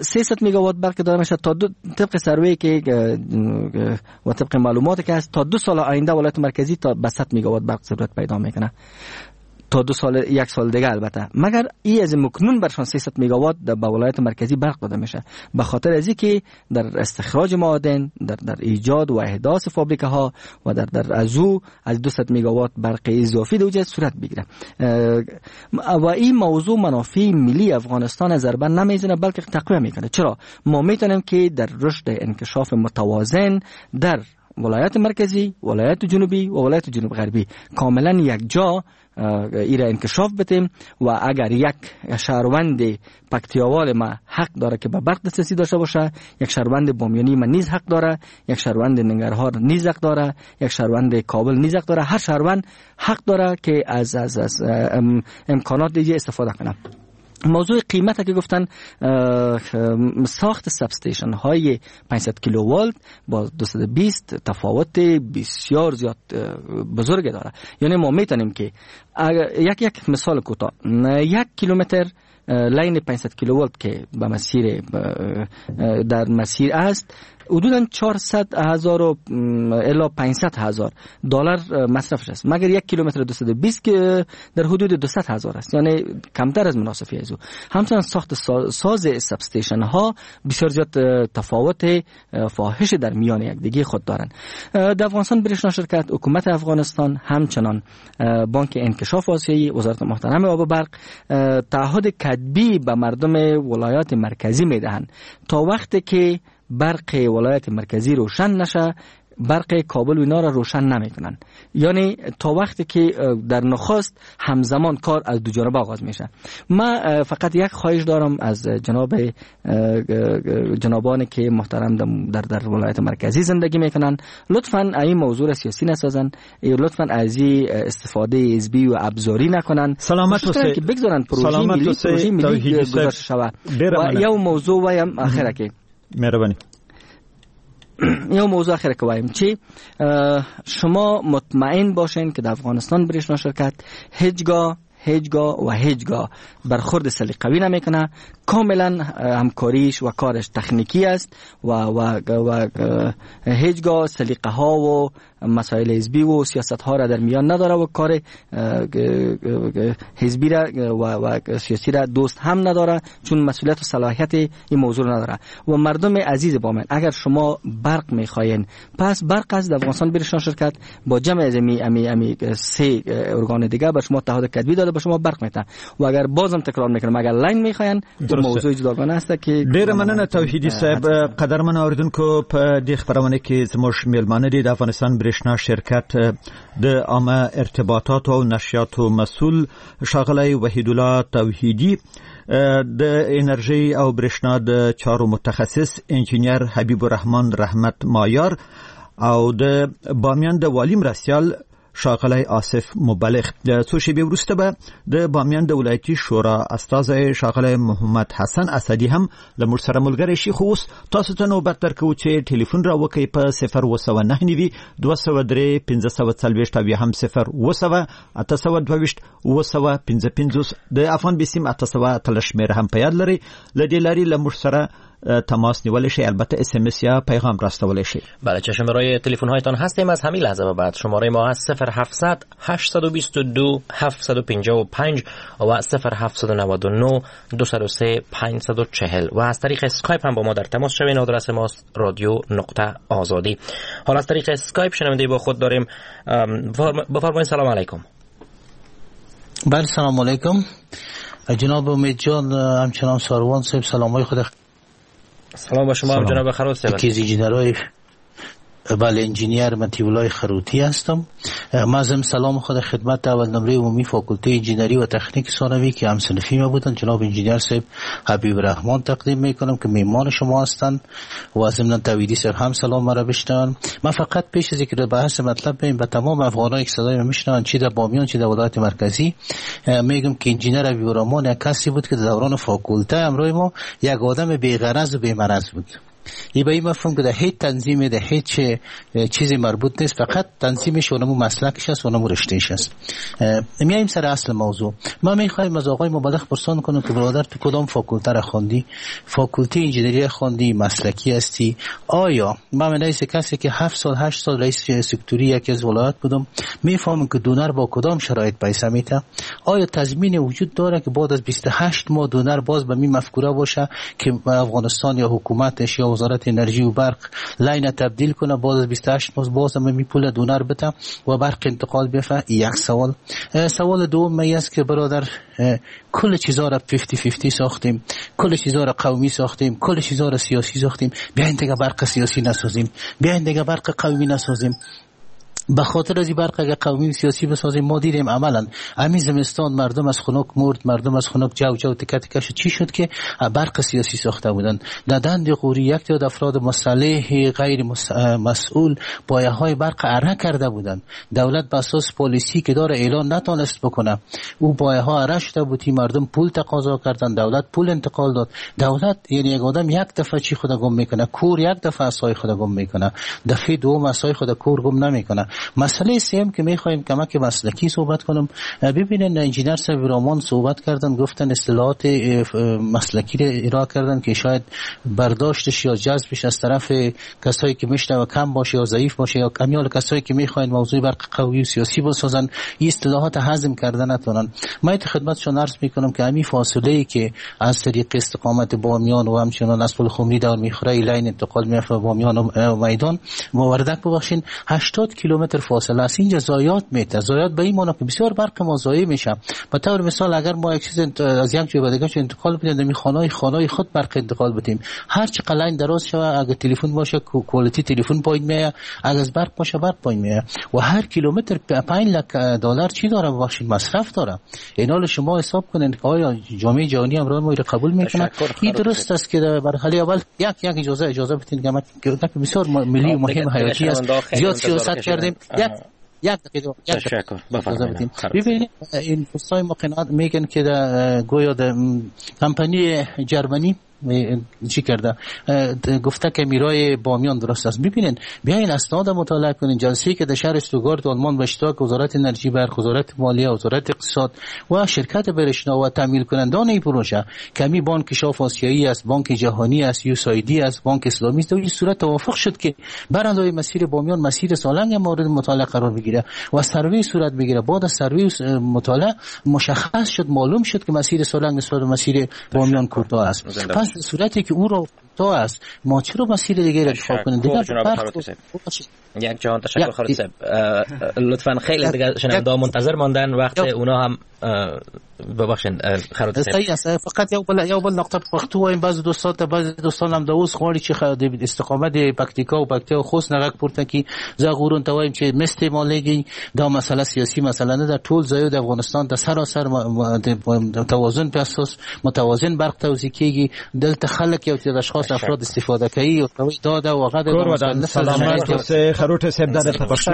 300 مگاوات برق داره میشه تا طبق سروی که و طبق معلوماتی که هست تا 2 سال آینده ولایت مرکزی تا به 100 مگاوات برق ضرورت پیدا میکنه، تا 2 سال، 1 سال دیگه البته. مگر ای از مکنون برشان 300 مگاوات به ولایت مرکزی برق داده میشه، به خاطر از اینکه در استخراج معادن، در ایجاد و احداث فابریکه ها و در ازو از 200 مگاوات برق اضافی در صورت بگیره. و این موضوع منافع ملی افغانستان ضربه نمیزنه بلکه تقویه میکنه. چرا؟ ما میتونیم که در رشد انکشاف متوازن در ولایت مرکزی، ولایت جنوبی و ولایت جنوب غربی کاملا یک جا ایره انکشاف بدیم و اگر یک شهروند پکتیاوال ما حق داره که به برق دسترسی داشته باشه، یک شهروند بامیانی ما نیز حق داره، یک شهروند ننگرهار نیز حق داره، یک شهروند کابل نیز حق داره، هر شهروند حق داره که از از از امکانات دیگه استفاده کنه. موضوع قیمت که گفتن، ساخت substation های 500 کیلوولت با 220 تفاوت بسیار زیاد بزرگ داره. یعنی ما میتونیم که یک مثال کوتاه، 1 کیلومتر line 500 کیلوولت که به مسیر در مسیر است، حدوداً 400,000 و الی 500,000 دلار مصرفش است، مگر 1 کیلومتر 220 که در حدود 200,000 است، یعنی کمتر از مناسفی از او. همچنین ساخت ساز substation ها بسیار زیاد تفاوت فاحش در میان یکدیگه خود دارند. در افغانستان برشنا شرکت، حکومت افغانستان، همچنان بانک انکشاف آسیایی، وزارت محترم آب و برق تعهد کتبی به مردم ولایات مرکزی میدهند تا وقتی که برق ولایت مرکزی روشن نشه، برق کابل و اینا را روشن نمیکنن. یعنی تا وقتی که در نخست همزمان کار از دو جانب آغاز میشه. من فقط یک خواهش دارم از جنابان که محترم در ولایت مرکزی زندگی میکنن، لطفاً این موضوع را سیاسی نسازن، لطفاً از این استفاده حزبی و ابزاری نکنن. سلامت اوسئ که بگذارن پروژه ملی گذاشته شود. و یو موضوع وایم اخره که مهربانی یو موضوع اخر که وایم چی، شما مطمئن باشین که در افغانستان برشنا شرکت هیچگاه هیچگاه و هیچگاه برخورد سلیقوی نمیکنه، کاملا همکاریش و کارش تکنیکی است و و و هیچگاه سلیقه ها و مسائل حزبی و سیاست ها را در میان نداره و کار حزبی را و سیاسی را دوست هم نداره، چون مسئولیت و صلاحیت این موضوع نداره. و مردم عزیز بامیان، اگر شما برق میخواین، پس برق از افغانستان برشنا شرکت با جمع از امی سه ارگان دیگه به شما تعهد کتبی داده، به شما برق میده. و اگر بازم تکرار میکنم، اگر لاین میخواین، موضوع جداگانه است که ډیره مننه توحیدی صاحب. قدرمن اوریدونکو، په دې خبرونه کې زموږ میلمانه دي د افغانستان برښنا شرکت د عامه ارتباطاتو او نشریاتو مسؤل ښاغلی وحیدالله توحیدي، د انرژي او برښنا د چارو متخصص انجنیر حبیب الرحمن رحمت مایار او د بامیان د والي مرستیال ښاغلی آصف مبلغ. څو شیبې وروسته به د بامیان د ولایتي شورا استازی ښاغلی محمد حسن اسدي هم له موږ سره ملګری شي. خو اوس تاسو ته نوبت درکوو چې ټلیفون را وکړئ په 0799 203 540 او یا هم 0700 822 755. د افغان بیسیم 818 شمېره هم په یاد لرئ. له دې لارې له موږ سره تماس نیولی شئ، البته اس ام اس یا پیغام راستولی شئ. بله، چشم برای تلفن هایتان هستیم. از همین لحظه به بعد شماره ما هست 0700 822 755 و 0799 203 540 و از طریق اسکایپ هم با ما در تماس شوین. آدرس ماست رادیو.آزادی. حالا از طریق اسکایپ شنونده با خود داریم. بفرمایید. سلام علیکم. بله، سلام علیکم جناب امید جان، همچنان ساروان صاحب، سلام های خود. سلام با شما جناب خروت صاحب. یکی از انجینرهای، بله، انجینیر مطیع‌الله خروتی هستم. ما ضمن سلام خود خدمت اول نمره عمومی فاکولته انجینری و تکنیک ثانوی که هم صنفی ما بودن جناب انجینیر صاحب حبیب رحمان تقدیم میکنم که میمان شما هستند و ضمن توحیدی صاحب هم سلام مرا بشنون. من فقط پیش از اینکه بحث مطلب بریم به تمام افغانایی که صدای ما میشنون، چه در بامیان چه در ولایت مرکزی، میگم که انجینیر حبیب رحمان یک کسی بود که در دوران فاکولته همراه ما یک آدم بی‌غرض و بی‌مرض بود. ای به این مفهوم که در هیچ تنظیم، در هیچ چیزی مربوط نیست، فقط تنظیمش اونمو مسلکش است، اونمو رشتهش است. میایم سر اصل موضوع. ما میخوایم از آقای مبلغ پرسان کنم که برادر تو کدام فاکولته را خواندی؟ فاکولته انجینری خواندی، مسلکی هستی؟ آیا من رئیس کسی که 7 سال 8 سال رئیس سکتوری یکی از ولایت بودم میفهمم که دونر با کدام شرایط پیسه میته؟ آیا تضمین وجود داره که بعد از 28 ماه دونر باز به می مفکوره باشه که افغانستان یا حکومتش یا وزارت انرژی و برق line تبدیل کنه، باز از 28 ماه باز هم می پول دونر بده و برق انتقال بیفته؟ یک سوال. سوال دوم می است که برادر کل چیزا را 50-50 ساختیم، کل چیزا را قومی ساختیم، کل چیزا را سیاسی ساختیم، بیاین دیگه برق سیاسی نسازیم، بیاین دیگه برق قومی نسازیم. به خاطر از این برق اگه قومی سیاسی بسازیم، ما دیدیم عملا همین زمستان مردم از خنک مرد، مردم از خنک جو جو تکه تکه شد. چی شد که برق سیاسی ساخته بودن؟ در دند قوری یک تعداد افراد مسلح غیر مسئول پایه های برق اره کرده بودن. دولت به اساس پالیسی که داره اعلان نتونست بکنه، او پایه ها اره شده بود، مردم پول تقاضا کردن، دولت پول انتقال داد. دولت یعنی یک آدم یک دفعه چی خود گم میکنه؟ کور یک دفعه عصای خود گم میکنه، دفعه دوم عصای خود کور گم نمیکنه. مسئله سوم که میخوایم کمک مسلکی صحبت کنم، ببینن انجینر صاحب رامان صحبت کردن، گفتن اصطلاحات مسلکی را ارائه کردن که شاید برداشتش یا جذبش از طرف کسایی که میشنوه کم باشه یا ضعیف باشه یا کمیال کسایی که میخواین موضوع برق قوی و سیاسی بسازن این اصطلاحات هضم کردن نتونن. من خدمتشون عرض میکنم که همین فاصله ای که از طریق استقامت بامیان و همچنان از پل خمری دور میخوره line انتقال میافه بامیان و میدان وردک، ببخشین 80 کیلومتر فاصله است. اینجا ضایعات میته، ضایعات به این معنی که بسیار برق ما ضایع میشه. به طور مثال اگر ما یک چیز از یک جای به دیگه انتقال بدیم، در خانه خود برق انتقال بدیم، هر چقدر line دراز شوه، اگر تلفن باشه quality تلفن پایین میاد، اگر از برق باشه برق پایین میاد و هر کیلومتر 5 لک دلار چی داره، ببخشید مصرف داره. اینا رو شما حساب کنین که آیا جامعه جهانی هم ما رو قبول میکنه؟ این درست است که در مرحله اول یک اجازه بدین که بسیار ملی و مهم حیاتی است. زیاد سیاست کردیم. یک دقیقه تشکر بفرمایید. ببینید این دوستای ما قناعت میگن که گویا در کمپانی جرمنی چی کرده، گفته که میرای بامیان درست است. ببینین، بیاین اسناد مطالعه کنین. جلسه‌ای که در شهر استوگارت آلمان به اشتراک وزارت انرژی برق، وزارت مالیه، وزارت اقتصاد و شرکت برشنا و تمویل کنندان این پروژه کمی بانک شاف آسیایی است، بانک جهانی است، USAID است، بانک اسلامی است، در این صورت توافق شد که برای مسیر بامیان، مسیر سالنگ مورد مطالعه قرار بگیره و سروی صورت بگیره. بعد از سروی مطالعه مشخص شد، معلوم شد که مسیر سالنگ نسبت به مسیر بامیان کوتاه است. پس صورتی که او را کوتاه است، ما چرا مسیر دیگه را انتخاب کنیم؟ دیگه یک جهان تشکر خالد صاحب. لطفاً خیلی دیگه شنونده منتظر ماندن، وقت اونا هم ببخشید خالد صاحب. فقط یو بل نقطه پښتو وایم. بعض دوستان ته، بعض دوستان هم د اوس غواړي چې د استقامت د پکتیکا او پکتیا او خوست نه غږ پورته کړي. زه غورون ته وایم چې مستعمالېږي، دا مسله سیاسي مسله نه ده. ټول ځایو د افغانستان د سراسر توازن په اساس متوازن برق توزیع کیږي. دلته خلک یو تعداد اشخاص افراد استفاده کوي او دا دا وغه د سلامت اوسئ خروټی صاحب. دا د پښتو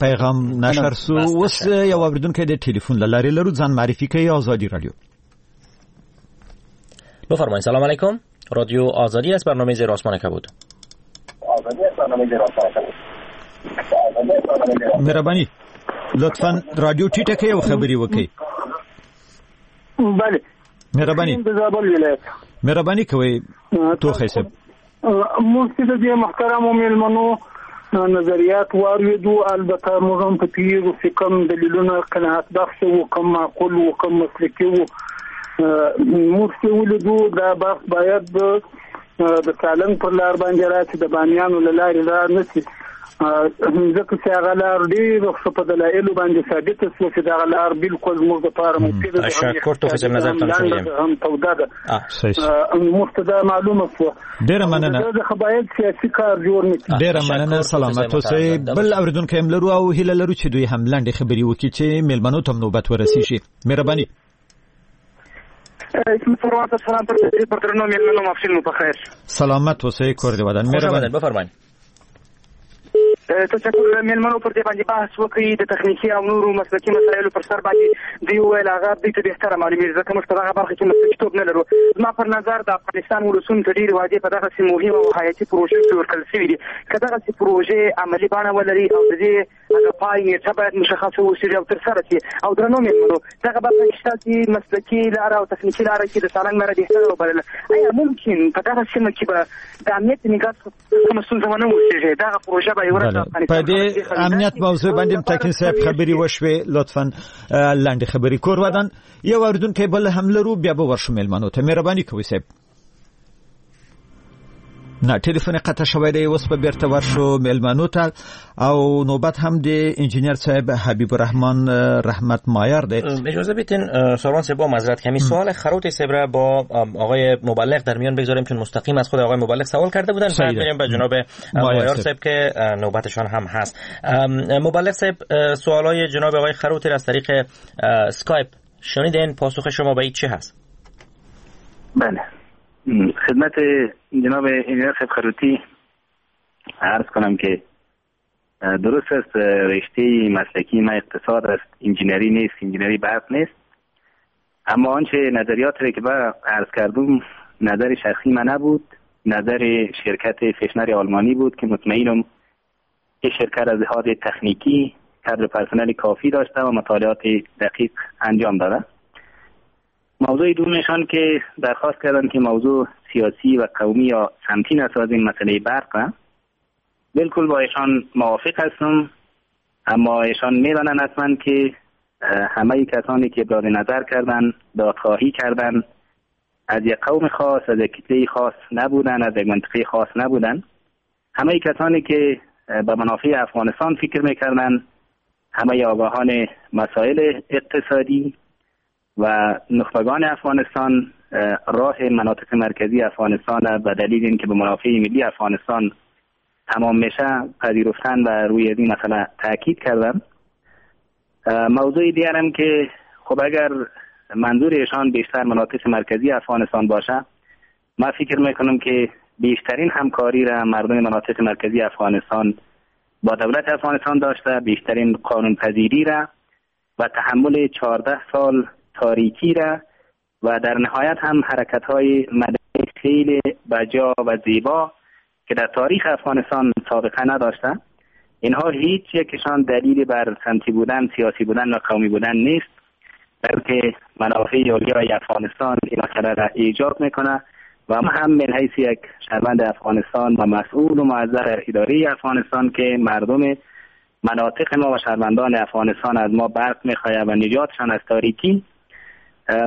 پیغام نشر سو. اوس یو اوریدونکی د ټلیفون له لارې لرو، ځان معرفي کوي. آزادی رادیو، بفرمایید. سلام علیکم، رادیو آزادی است، برنامه زیر آسمان کبود. مهرباني لطفاً رادیو ټیټه کړئ او خبرې وکړئ. بله مهرباني، مهرباني کوئ توخی صاحب. موږ چې د دې محترمو مېلمنو نظریات واورېدو، البته موږ هم په پوهېږو چې کوم دلیلونه قناعت بخش وو، کوم معقول وو، کوم مسلکي وو. موږ چې ولیدو دا بحث باید د سالنګ پر لار باندې راشي، د بامیانو له لارې را نه شي، ځکه چې هغه لار ډېره ښه په دلایلو باندې ثابته شوه چې دغه لار بالکل زموږ دپاره مفیده ده. تشکر توخی صاحب، نظرتان شنیدیم. هم توده ده، موږ ته دا معلومه شوه. ډېره مننه. ځکه باید سیاسي کار جوړ نه کړي. ډېره مننه، سلامت اوسئ. بل اوریدونکی هم لرو او هیله لرو چې دوی هم لنډې خبرې وکړي چې مېلمنو ته هم نوبت ورسیږي. مهرباني. سلامت اوسئ، کور دې ودان. مهرباني، بفرمایئ. تشکر مېلمنو پر دې باندې بحث وکړي د تخنیکي او نورو مسلکي مسایلو پر سر باندې. دوی وویل هغه دوی ته بهتره معلومېږي، ځکه موږ په دغه برخه کې مسلکیتوب نه لرو. زما پر نظر د افغانستان ولسونو ته ډېرې وعدې په دغسې مهمه او حیاتي پروژو کې ورکړل شوې دي. که دغسې پروژې عملي بڼه ولري او د دې هغه پای نېټه باید مشخصه اوسي او ترسره شي. او درنو مېلمنو، دغه برخه کې ستاسې مسلکي لاره او تخنیکي لاره کې د سالنګ لاره بهتره وبلله. ایا ممکن په دغه سیمه کې به د امنیت نګاه کومه ستونزه ونه اوسېږي؟ دغه پروژه به یوه ورځ په دې امنیت موضوع باندې تکین صاحب خبرې وشوې، لطفاً لنډې خبرې. کور ودان. یو اوریدونکی بل هم لرو، بیا به ورشو مېلمنو ته. مهرباني کوئ صاحب. نه، ټلیفون قطع شوی دی، اوس به بیرته ورشو مېلمنو ته. او نوبت هم د انجینر صاحب حبیب الرحمن رحمت مایار دی. اجازه بدین ساروان صاحب با معذرت کمی سوال خروتی صاحب را با آقای مبلغ در میان بگذاریم، چون مستقیم از خود آقای مبلغ سوال کرده بودن. بعد میریم به جناب مایار صاحب که نوبتشان هم هست. مبلغ صاحب، سوالای جناب آقای خروتی را از طریق اسکایپ شنیدین، پاسخ شما به این چه هست؟ بله، خدمت جناب انجینر صاحب خروتی عرض کنم که درست است، رشته مسلکی ما اقتصاد است، انجینری نیست، انجینری برق نیست. اما آنچه نظریات را که با عرض کردم نظر شخصی من نبود، نظر شرکت فشنر آلمانی بود که مطمئنم این شرکت از لحاظ تکنیکی کادر پرسنل کافی داشته و مطالعات دقیق انجام داده. موضوع دومشان که درخواست کردن که موضوع سیاسی و قومی یا سمتی نسازیم مسئله برق، بالکل با ایشان موافق هستم. اما ایشان میدانند حتما که همه کسانی که ابراز نظر کردن، دادخواهی کردن، از یک قوم خاص، از یک کتله خاص نبودن، از یک منطقه خاص نبودن. همه کسانی که به منافع افغانستان فکر میکردن، همه آگاهان مسائل اقتصادی و نخبگان افغانستان راه مناطق مرکزی افغانستان به دلیل اینکه به منافع ملی افغانستان تمام میشه پذیرفتن و روی این مسئله تاکید کردن. موضوع دیگرم که خب اگر منظور ایشان بیشتر مناطق مرکزی افغانستان باشه، من فکر میکنم که بیشترین همکاری را مردم مناطق مرکزی افغانستان با دولت افغانستان داشته، بیشترین قانون پذیری را و تحمل 14 سال تاریکی را و در نهایت هم حرکت‌های مدنی فعل بجا و زیبا که در تاریخ افغانستان سابقه نداشته. اینها هیچ یکشان دلیل بر سمتی بودن، سیاسی بودن و قومی بودن نیست، بلکه منافع عالیای افغانستان این مسئله را ایجاب میکنه و ما هم من حیث یک شهروند افغانستان و مسئول و موظف اداره افغانستان که مردم مناطق ما و شهروندان افغانستان از ما برق میخواهد و نجاتشان از تاریکی،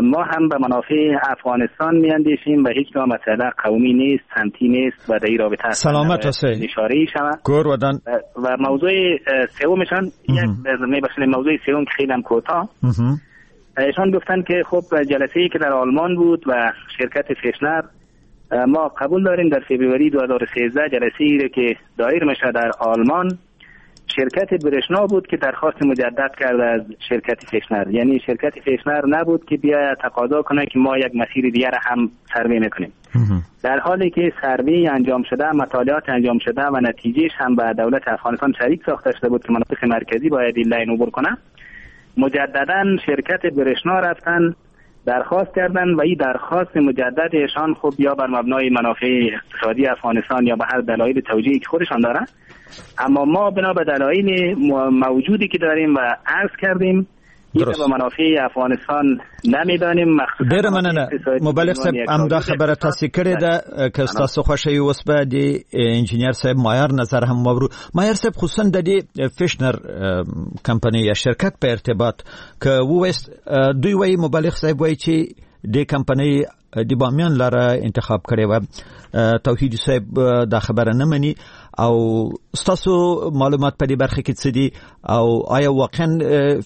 ما هم به منافع افغانستان میاندیشیم و هیچ مسئله قومی نیست، سمتی نیست و در این رابطه سلامت اوسئ اشاره شود. و موضوع سومشان یک میبخشید، موضوع سوم که خیلی هم کوتاه، ایشان گفتن که خب جلسه‌ای که در آلمان بود و شرکت فشنر، ما قبول داریم در فوریه 2013 جلسه‌ای که دایر میشه در آلمان، شرکت برشنا بود که درخواست مجدد کرد از شرکت فشنر، یعنی شرکت فشنر نبود که بیا تقاضا کنه که ما یک مسیر دیگر هم سروی میکنیم، در حالی که سروی انجام شده، مطالعات انجام شده و نتیجهش هم به دولت افغانستان شریک ساخته شده بود که مناطق مرکزی باید این line عبور کنه. مجددا شرکت برشنا رفتن درخواست کردن و این درخواست مجدد ایشان خب یا بر مبنای منافع اقتصادی افغانستان یا به هر دلایل توجیهی که خودشان دارن، اما ما بنا به دلایل موجودی که داریم و عرض کردیم این به منافع افغانستان نمیدانیم. ډیره مننه مبلغ صاحب، همدا خبره تاسو کړې ده، که ستاسو خوښه وي اوس به د انجینر صاحب مایار نظر هم واورو. مایار صاحب، خصوصا د دې فشنر کمپنۍ یا شرکت په ارتباط که وویست، دوی وایي، مبلغ صاحب وایي چې د کمپنۍ د بامیان لاره انتخاب کړې وه، توحیدي صاحب دا خبره نه مني، او ستاسو معلومات په دې برخه کې څه دي؟ او آیا واقعا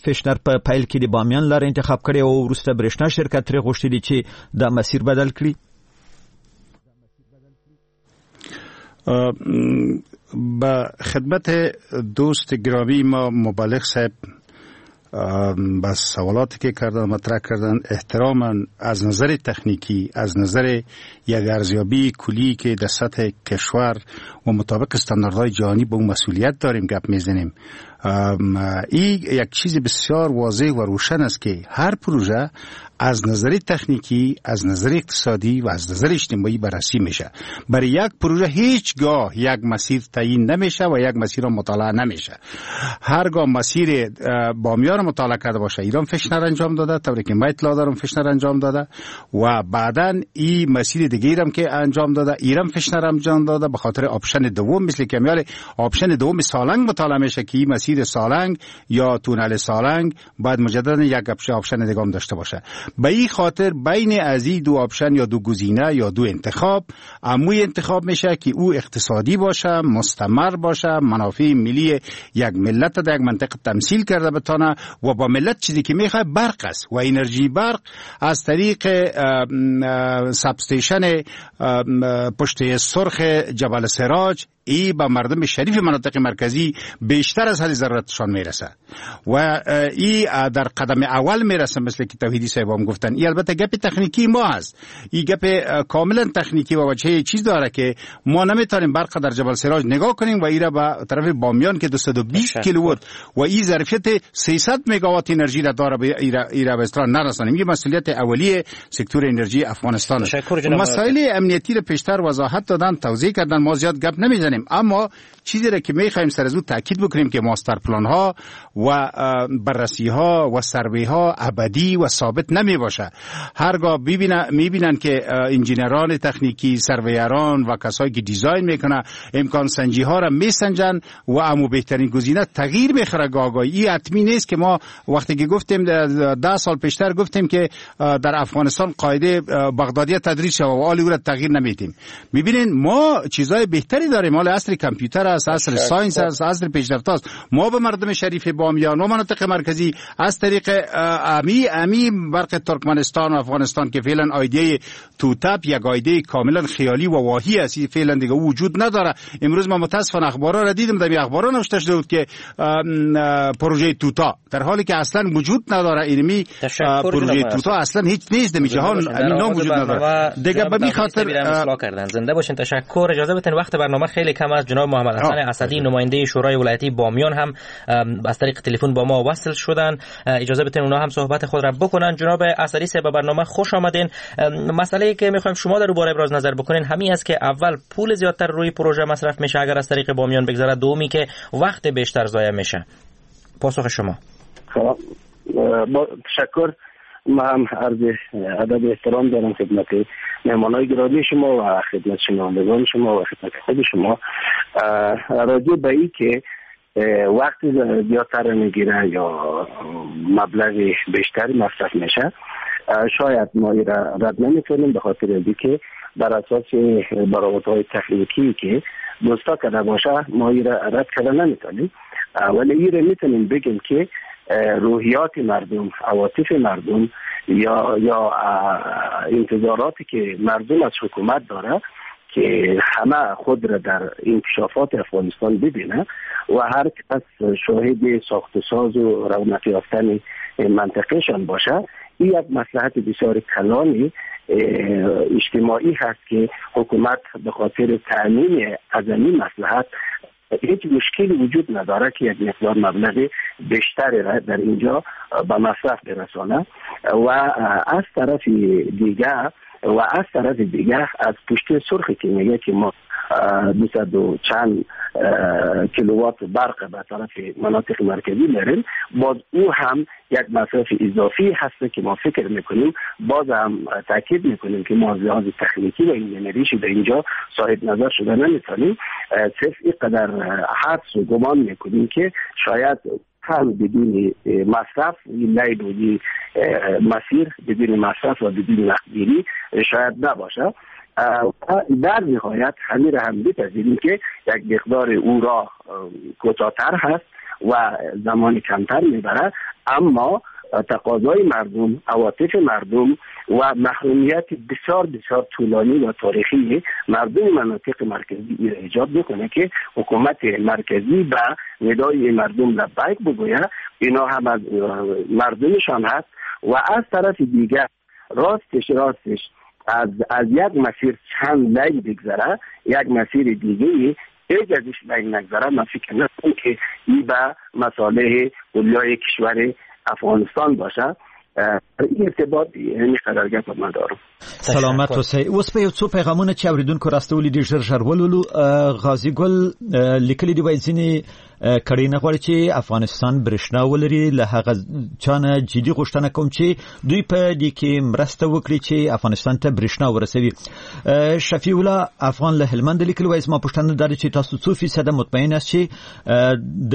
فشنر په پیل کې د بامیان لاره انتخاب کړې او وروسته برېښنا شرکت ترې غوښتي دي چې دا مسیر بدل کړي؟ به خدمت دوست گرامی ما مبلغ صاحب با سوالاتی که کردن مطرح کردن، احتراما از نظر تکنیکی، از نظر یک ارزیابی کلی که در سطح کشور و مطابق استانداردهای جهانی به اون مسئولیت داریم گپ میزنیم، این یک چیز بسیار واضح و روشن است که هر پروژه از نظر تکنیکی، از نظر اقتصادی و از نظر اجتماعی بررسی میشه. برای یک پروژه هیچگاه یک مسیر تعیین نمیشه و یک مسیر مطالعه نمیشه. هرگاه مسیر بامیان مطالعه کرده باشه، ایران فشنر انجام داده، طوری که من اطلاع دارم فشنر انجام داده و بعداً این مسیر دیگه هم که انجام داده، ایران فشنر انجام داده، به خاطر option دوم، مثل که میال option دوم سالنگ مطالعه میشه که این مسیر سالنگ یا تونل سالنگ باید مجددا یک option دیگه هم داشته باشه. به این خاطر بین از این دو option یا دو گزینه یا دو انتخاب، اموی انتخاب میشه که او اقتصادی باشه، مستمر باشه، منافع ملی یک ملت در یک منطقه تمثیل کرده بتانه و با ملت چیزی که میخواد برق است و انرژی برق از طریق substation پشت سرخ جبل سراج ای به مردم شریف مناطق مرکزی بیشتر از حد ضرورتشان میرسه و ای در قدم اول میرسه، مثل که توحیدی صاحب هم گفتن. ای البته گپ تکنیکی ما هست، ای گپ کاملا تکنیکی و وجهه چیز داره که ما نمیتونیم برق در جبل سراج نگاه کنیم و ای را به طرف بامیان که 220 کیلووات و ای ظرفیت 300 مگاوات انرژی را داره به ای را به اصطلاح نرسانیم. این مسئولیت اولیه سکتور انرژی افغانستان است. مسائل امنیتی را پیشتر وضاحت دادن، توضیح کردن، ما زیاد گپ نمیزنیم، اما چیزی را که میخوایم سر از او تاکید بکنیم که master plan ها و بررسی ها و سروی ها ابدی و ثابت نمی باشه. هرگاه میبینن که انجینران تکنیکی، surveyor ان و کسایی که design میکنه امکان سنجی ها را میسنجن و امو بهترین گزینه تغییر میخوره. گاهی این حتمی نیست که ما وقتی که گفتیم 10 سال پیشتر گفتیم که در افغانستان قاعده بغدادی تدریس شود و آلی او را تغییر نمیدیم. میبینین ما چیزای بهتری داریم، حال عصر کامپیوتر است، عصر science است، عصر پیشرفته است. ما به مردم شریف بامیان و مناطق مرکزی از طریق امی برق ترکمنستان و افغانستان که فعلا idea ی توتپ یک idea ی کاملا خیالی و واهی است، فعلا دیگه وجود نداره. امروز ما متاسفانه اخبارا را دیدم، در اخبارا نوشته شده بود که پروژه توتا، در حالی که اصلا وجود نداره. اینمی پروژه توتا اصلا هیچ نیست در جهان، همین نام وجود نداره دیگه. به می خاطر کردن. زنده باشین، تشکر. اجازه بدین وقت برنامه خیلی کم است. جناب محمد حسن اسدی نماینده شورای ولایتی بامیان هم از طریق تلفن با ما وصل شدن، اجازه بدین اونا هم صحبت خود را بکنن. جناب اسدی صاحب، برنامه خوش آمدین. مسئله که میخوایم شما در باره ابراز نظر بکنین همین است که اول پول زیادتر روی پروژه مصرف میشه اگر از طریق بامیان بگذرد، دومی که وقت بیشتر ضایع میشه. پاسخ شما. با تشکر، ما هم عرض ادب احترام دارم خدمت مهمانای گرامی شما و خدمت شنوندگان شما و خدمت خود شما. راجع به این که وقت زیادتر میگیره یا مبلغ بیشتر مصرف میشه، شاید ما را رد نمیکنیم، به خاطر اینکه بر اساس برآوردهای تکنیکی که دوستا کرده باشه ما را رد کرده نمیتونیم، ولی این را میتونیم بگیم که روحیات مردم، عواطف مردم یا انتظاراتی که مردم از حکومت داره که همه خود را در انکشافات افغانستان ببینه و هر کس شاهد ساخت و ساز و رونق یافتن منطقهشان باشه، این یک مصلحت بسیار کلانی اجتماعی هست که حکومت به خاطر تأمین از این مصلحت هیچ مشکلی وجود نداره که یک مقدار مبلغ بیشتری را در اینجا به مصرف برسانه. و از طرف دیگر از پشت سرخی که میگه که ما 200 و چند کیلووات برق به طرف مناطق مرکزی میریم، باز او هم یک مصرف اضافی هست که ما فکر میکنیم، باز هم تاکید میکنیم که ما از لحاظ تکنیکی و انجینریش در اینجا صاحب نظر شده نمیتونیم، صرف اینقدر حدس و گمان میکنیم که شاید هم بدون مصرف لیل و مسیر بدون مصرف و بدون وقتگیری شاید نباشه. در نهایت همین را هم بپذیریم که یک مقدار او را کوتاه‌تر هست و زمان کمتر میبره، اما تقاضای مردم، عواطف مردم و محرومیت بسیار بسیار طولانی و تاریخی مردم مناطق مرکزی را ایجاد میکنه که حکومت مرکزی به ندای مردم لبیک بگوید. اینا هم از مردمشان هست. و از طرف دیگر راستش از یک مسیر چند لیل بگذره، یک مسیر دیگه هیچ ازش لیل نگذره، من فکر نکنم که این به مصالح اولیای کشور افغانستان باشه. این ارتباط یعنی قرارگاه من دارم. سلامت اوسئ. اوس په یو څو پیغامونه چې اوریدونکو راستولي دي ژر ژر ولولو. غازي ګل لیکلي دی، وایي ځینې کړۍ نه غواړي چې افغانستان برښنا ولري، له هغه چا نه جدي غوښتنه کوم چې دوی په دې کې مرسته وکړي چې افغانستان ته برښنا ورسوي. شفیع الله افغان له هلمند لیکلي، وایي زما پوښتنه دا ده چې تاسو څو فیصده مطمئن یاست چې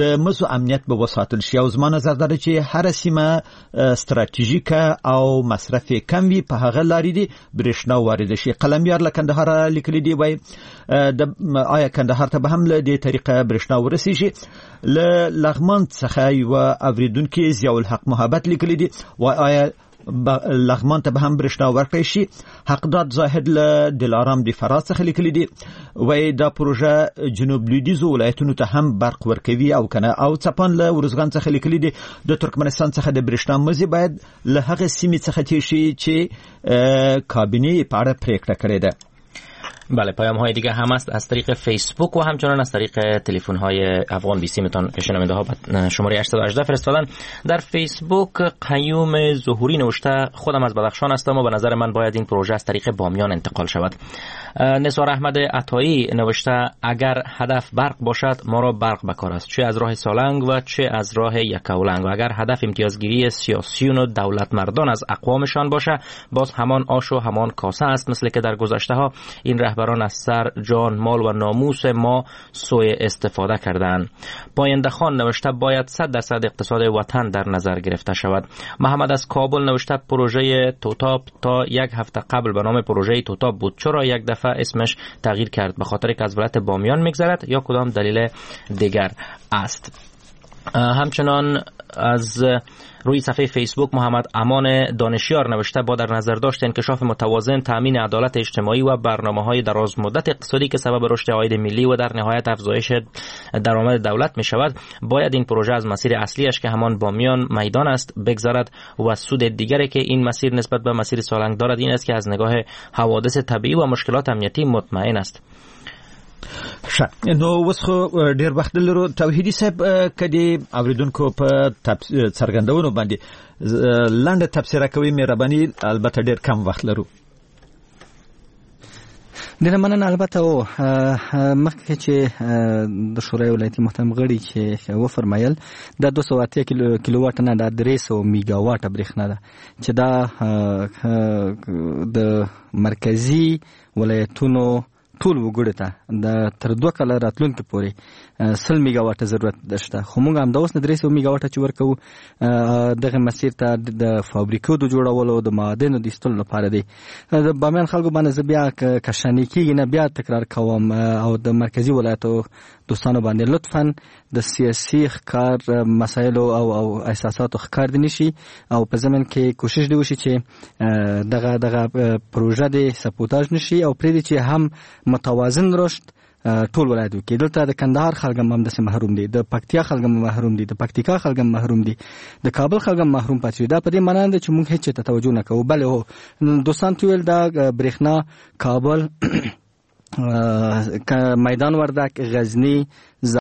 د مزو امنیت به وساتل شي؟ او زما نظر دا ده چې هره سیمه ستراتیژیکه او مصرف یې کم وي، په هغه لارې دي برښنا وارد شي. قلمیار له کندهاره لیکلي دی، وایي آیا کندهار ته به هم له دې طریقه برښنا ورسیږي؟ له لغمان څخه یو اوریدونکي ضیاءالحق محبت لیکلي دي، وایي آیا لغمان ته به هم برښنا ورکړی شي؟ حقداد زاهد له دلارام د فراه څخه لیکلي دي، وایي دا پروژه جنوب لویدیځو ولایتونو ته هم برق ورکوي او کنه؟ او څپان له ارزګان څخه لیکلي دي، د ترکمنستان څخه د برښنا مزي باید له هغې سیمې څخه تېر شي چې کابینې په اړه پرېکړه کړې ده. بله، پیام های دیگه هم است از طریق فیسبوک و همچنان از طریق تلفن های افغان بیسیمتان که شنونده ها شماره 818 فرستادن. در فیسبوک قیوم ظهوری نوشته خودم از بدخشان هستم و به نظر من باید این پروژه از طریق بامیان انتقال شود. نثار احمد عطایی نوشته اگر هدف برق باشد ما را برق بکار است، چه از راه سالنگ و چه از راه یکاولنگ، و اگر هدف امتیازگیری سیاسیون و دولت مردان از اقوامشان باشه باز همان آش و همان کاسه است، مثل که در گذشته ها این رهبران از سر، جان، مال و ناموس ما سوء استفاده کردند. پاینده خان نوشته باید 100% اقتصاد وطن در نظر گرفته شود. محمد از کابل نوشته پروژه توتاپ تا یک هفته قبل به نام پروژه توتاپ بود، چرا یک دفعه اسمش تغییر کرد؟ به خاطر که از ولایت بامیان میگذرد یا کدام دلیل دیگر است؟ همچنان از روی صفحه فیسبوک محمد امان دانشیار نوشته با در نظر داشت انکشاف متوازن، تامین عدالت اجتماعی و برنامه‌های دراز مدت اقتصادی که سبب رشد عاید ملی و در نهایت افزایش درآمد دولت می شود، باید این پروژه از مسیر اصلیش که همان بامیان میدان است بگذرد و سود دیگری که این مسیر نسبت به مسیر سالنگ دارد این است که از نگاه حوادث طبیعی و مشکلات امنیتی مطمئن است. ښه، نو اوس خو ډیر وخت لرو. توحیدي صاحب، که د اوریدونکو په څرګندونو باندې لنډه تبصره کوي مهرباني، البته ډیر کم وخت لرو. ډیره مننه. البته او مخکې چې د شورای ولایتي محترم غړي چې وفرمایل دا 280 کیلو واټ نه، دا 300 میګاواټ برېښنا ده چې دا د مرکزي ولایتونو ټول وګړو ته د تر 2 کاله راتلونکي پورې 100 میګاواټ ضرورت شته، خو موږ هم د اوس نه 300 میګاواټ چې ورکو دغه مسیر ته د فابریکو د جوړولو، د معادنو د ایستلو لپاره دی. د بامیان خلکو باندې زه بیا کشانی کیږي نه بیا تکرار کوم، او د مرکزی ولایتو دوستانو باندې لطفاً د سیاسي ښکار مسایلو او احساساتو ښکار دي نشي، او په ضمن کې کوشش دی وشي چې دغه دغه پروژه دې سپوتاژ نشي او پرې دي چې هم متوازن رشد ټول ولایت وکړي. دلته د کندهار خلک هم همداسې محروم دي، د پکتیا خلک هم محروم دي، د پکتیکا خلک هم محروم دي، د کابل خلک هم محروم پاتې دي. دا په دې معنی نه ده چې موږ هیڅ ته توجه نه کوو. بله هو دوستان ته ویل دا برېښنا کابل، میدان وردک، غزنی،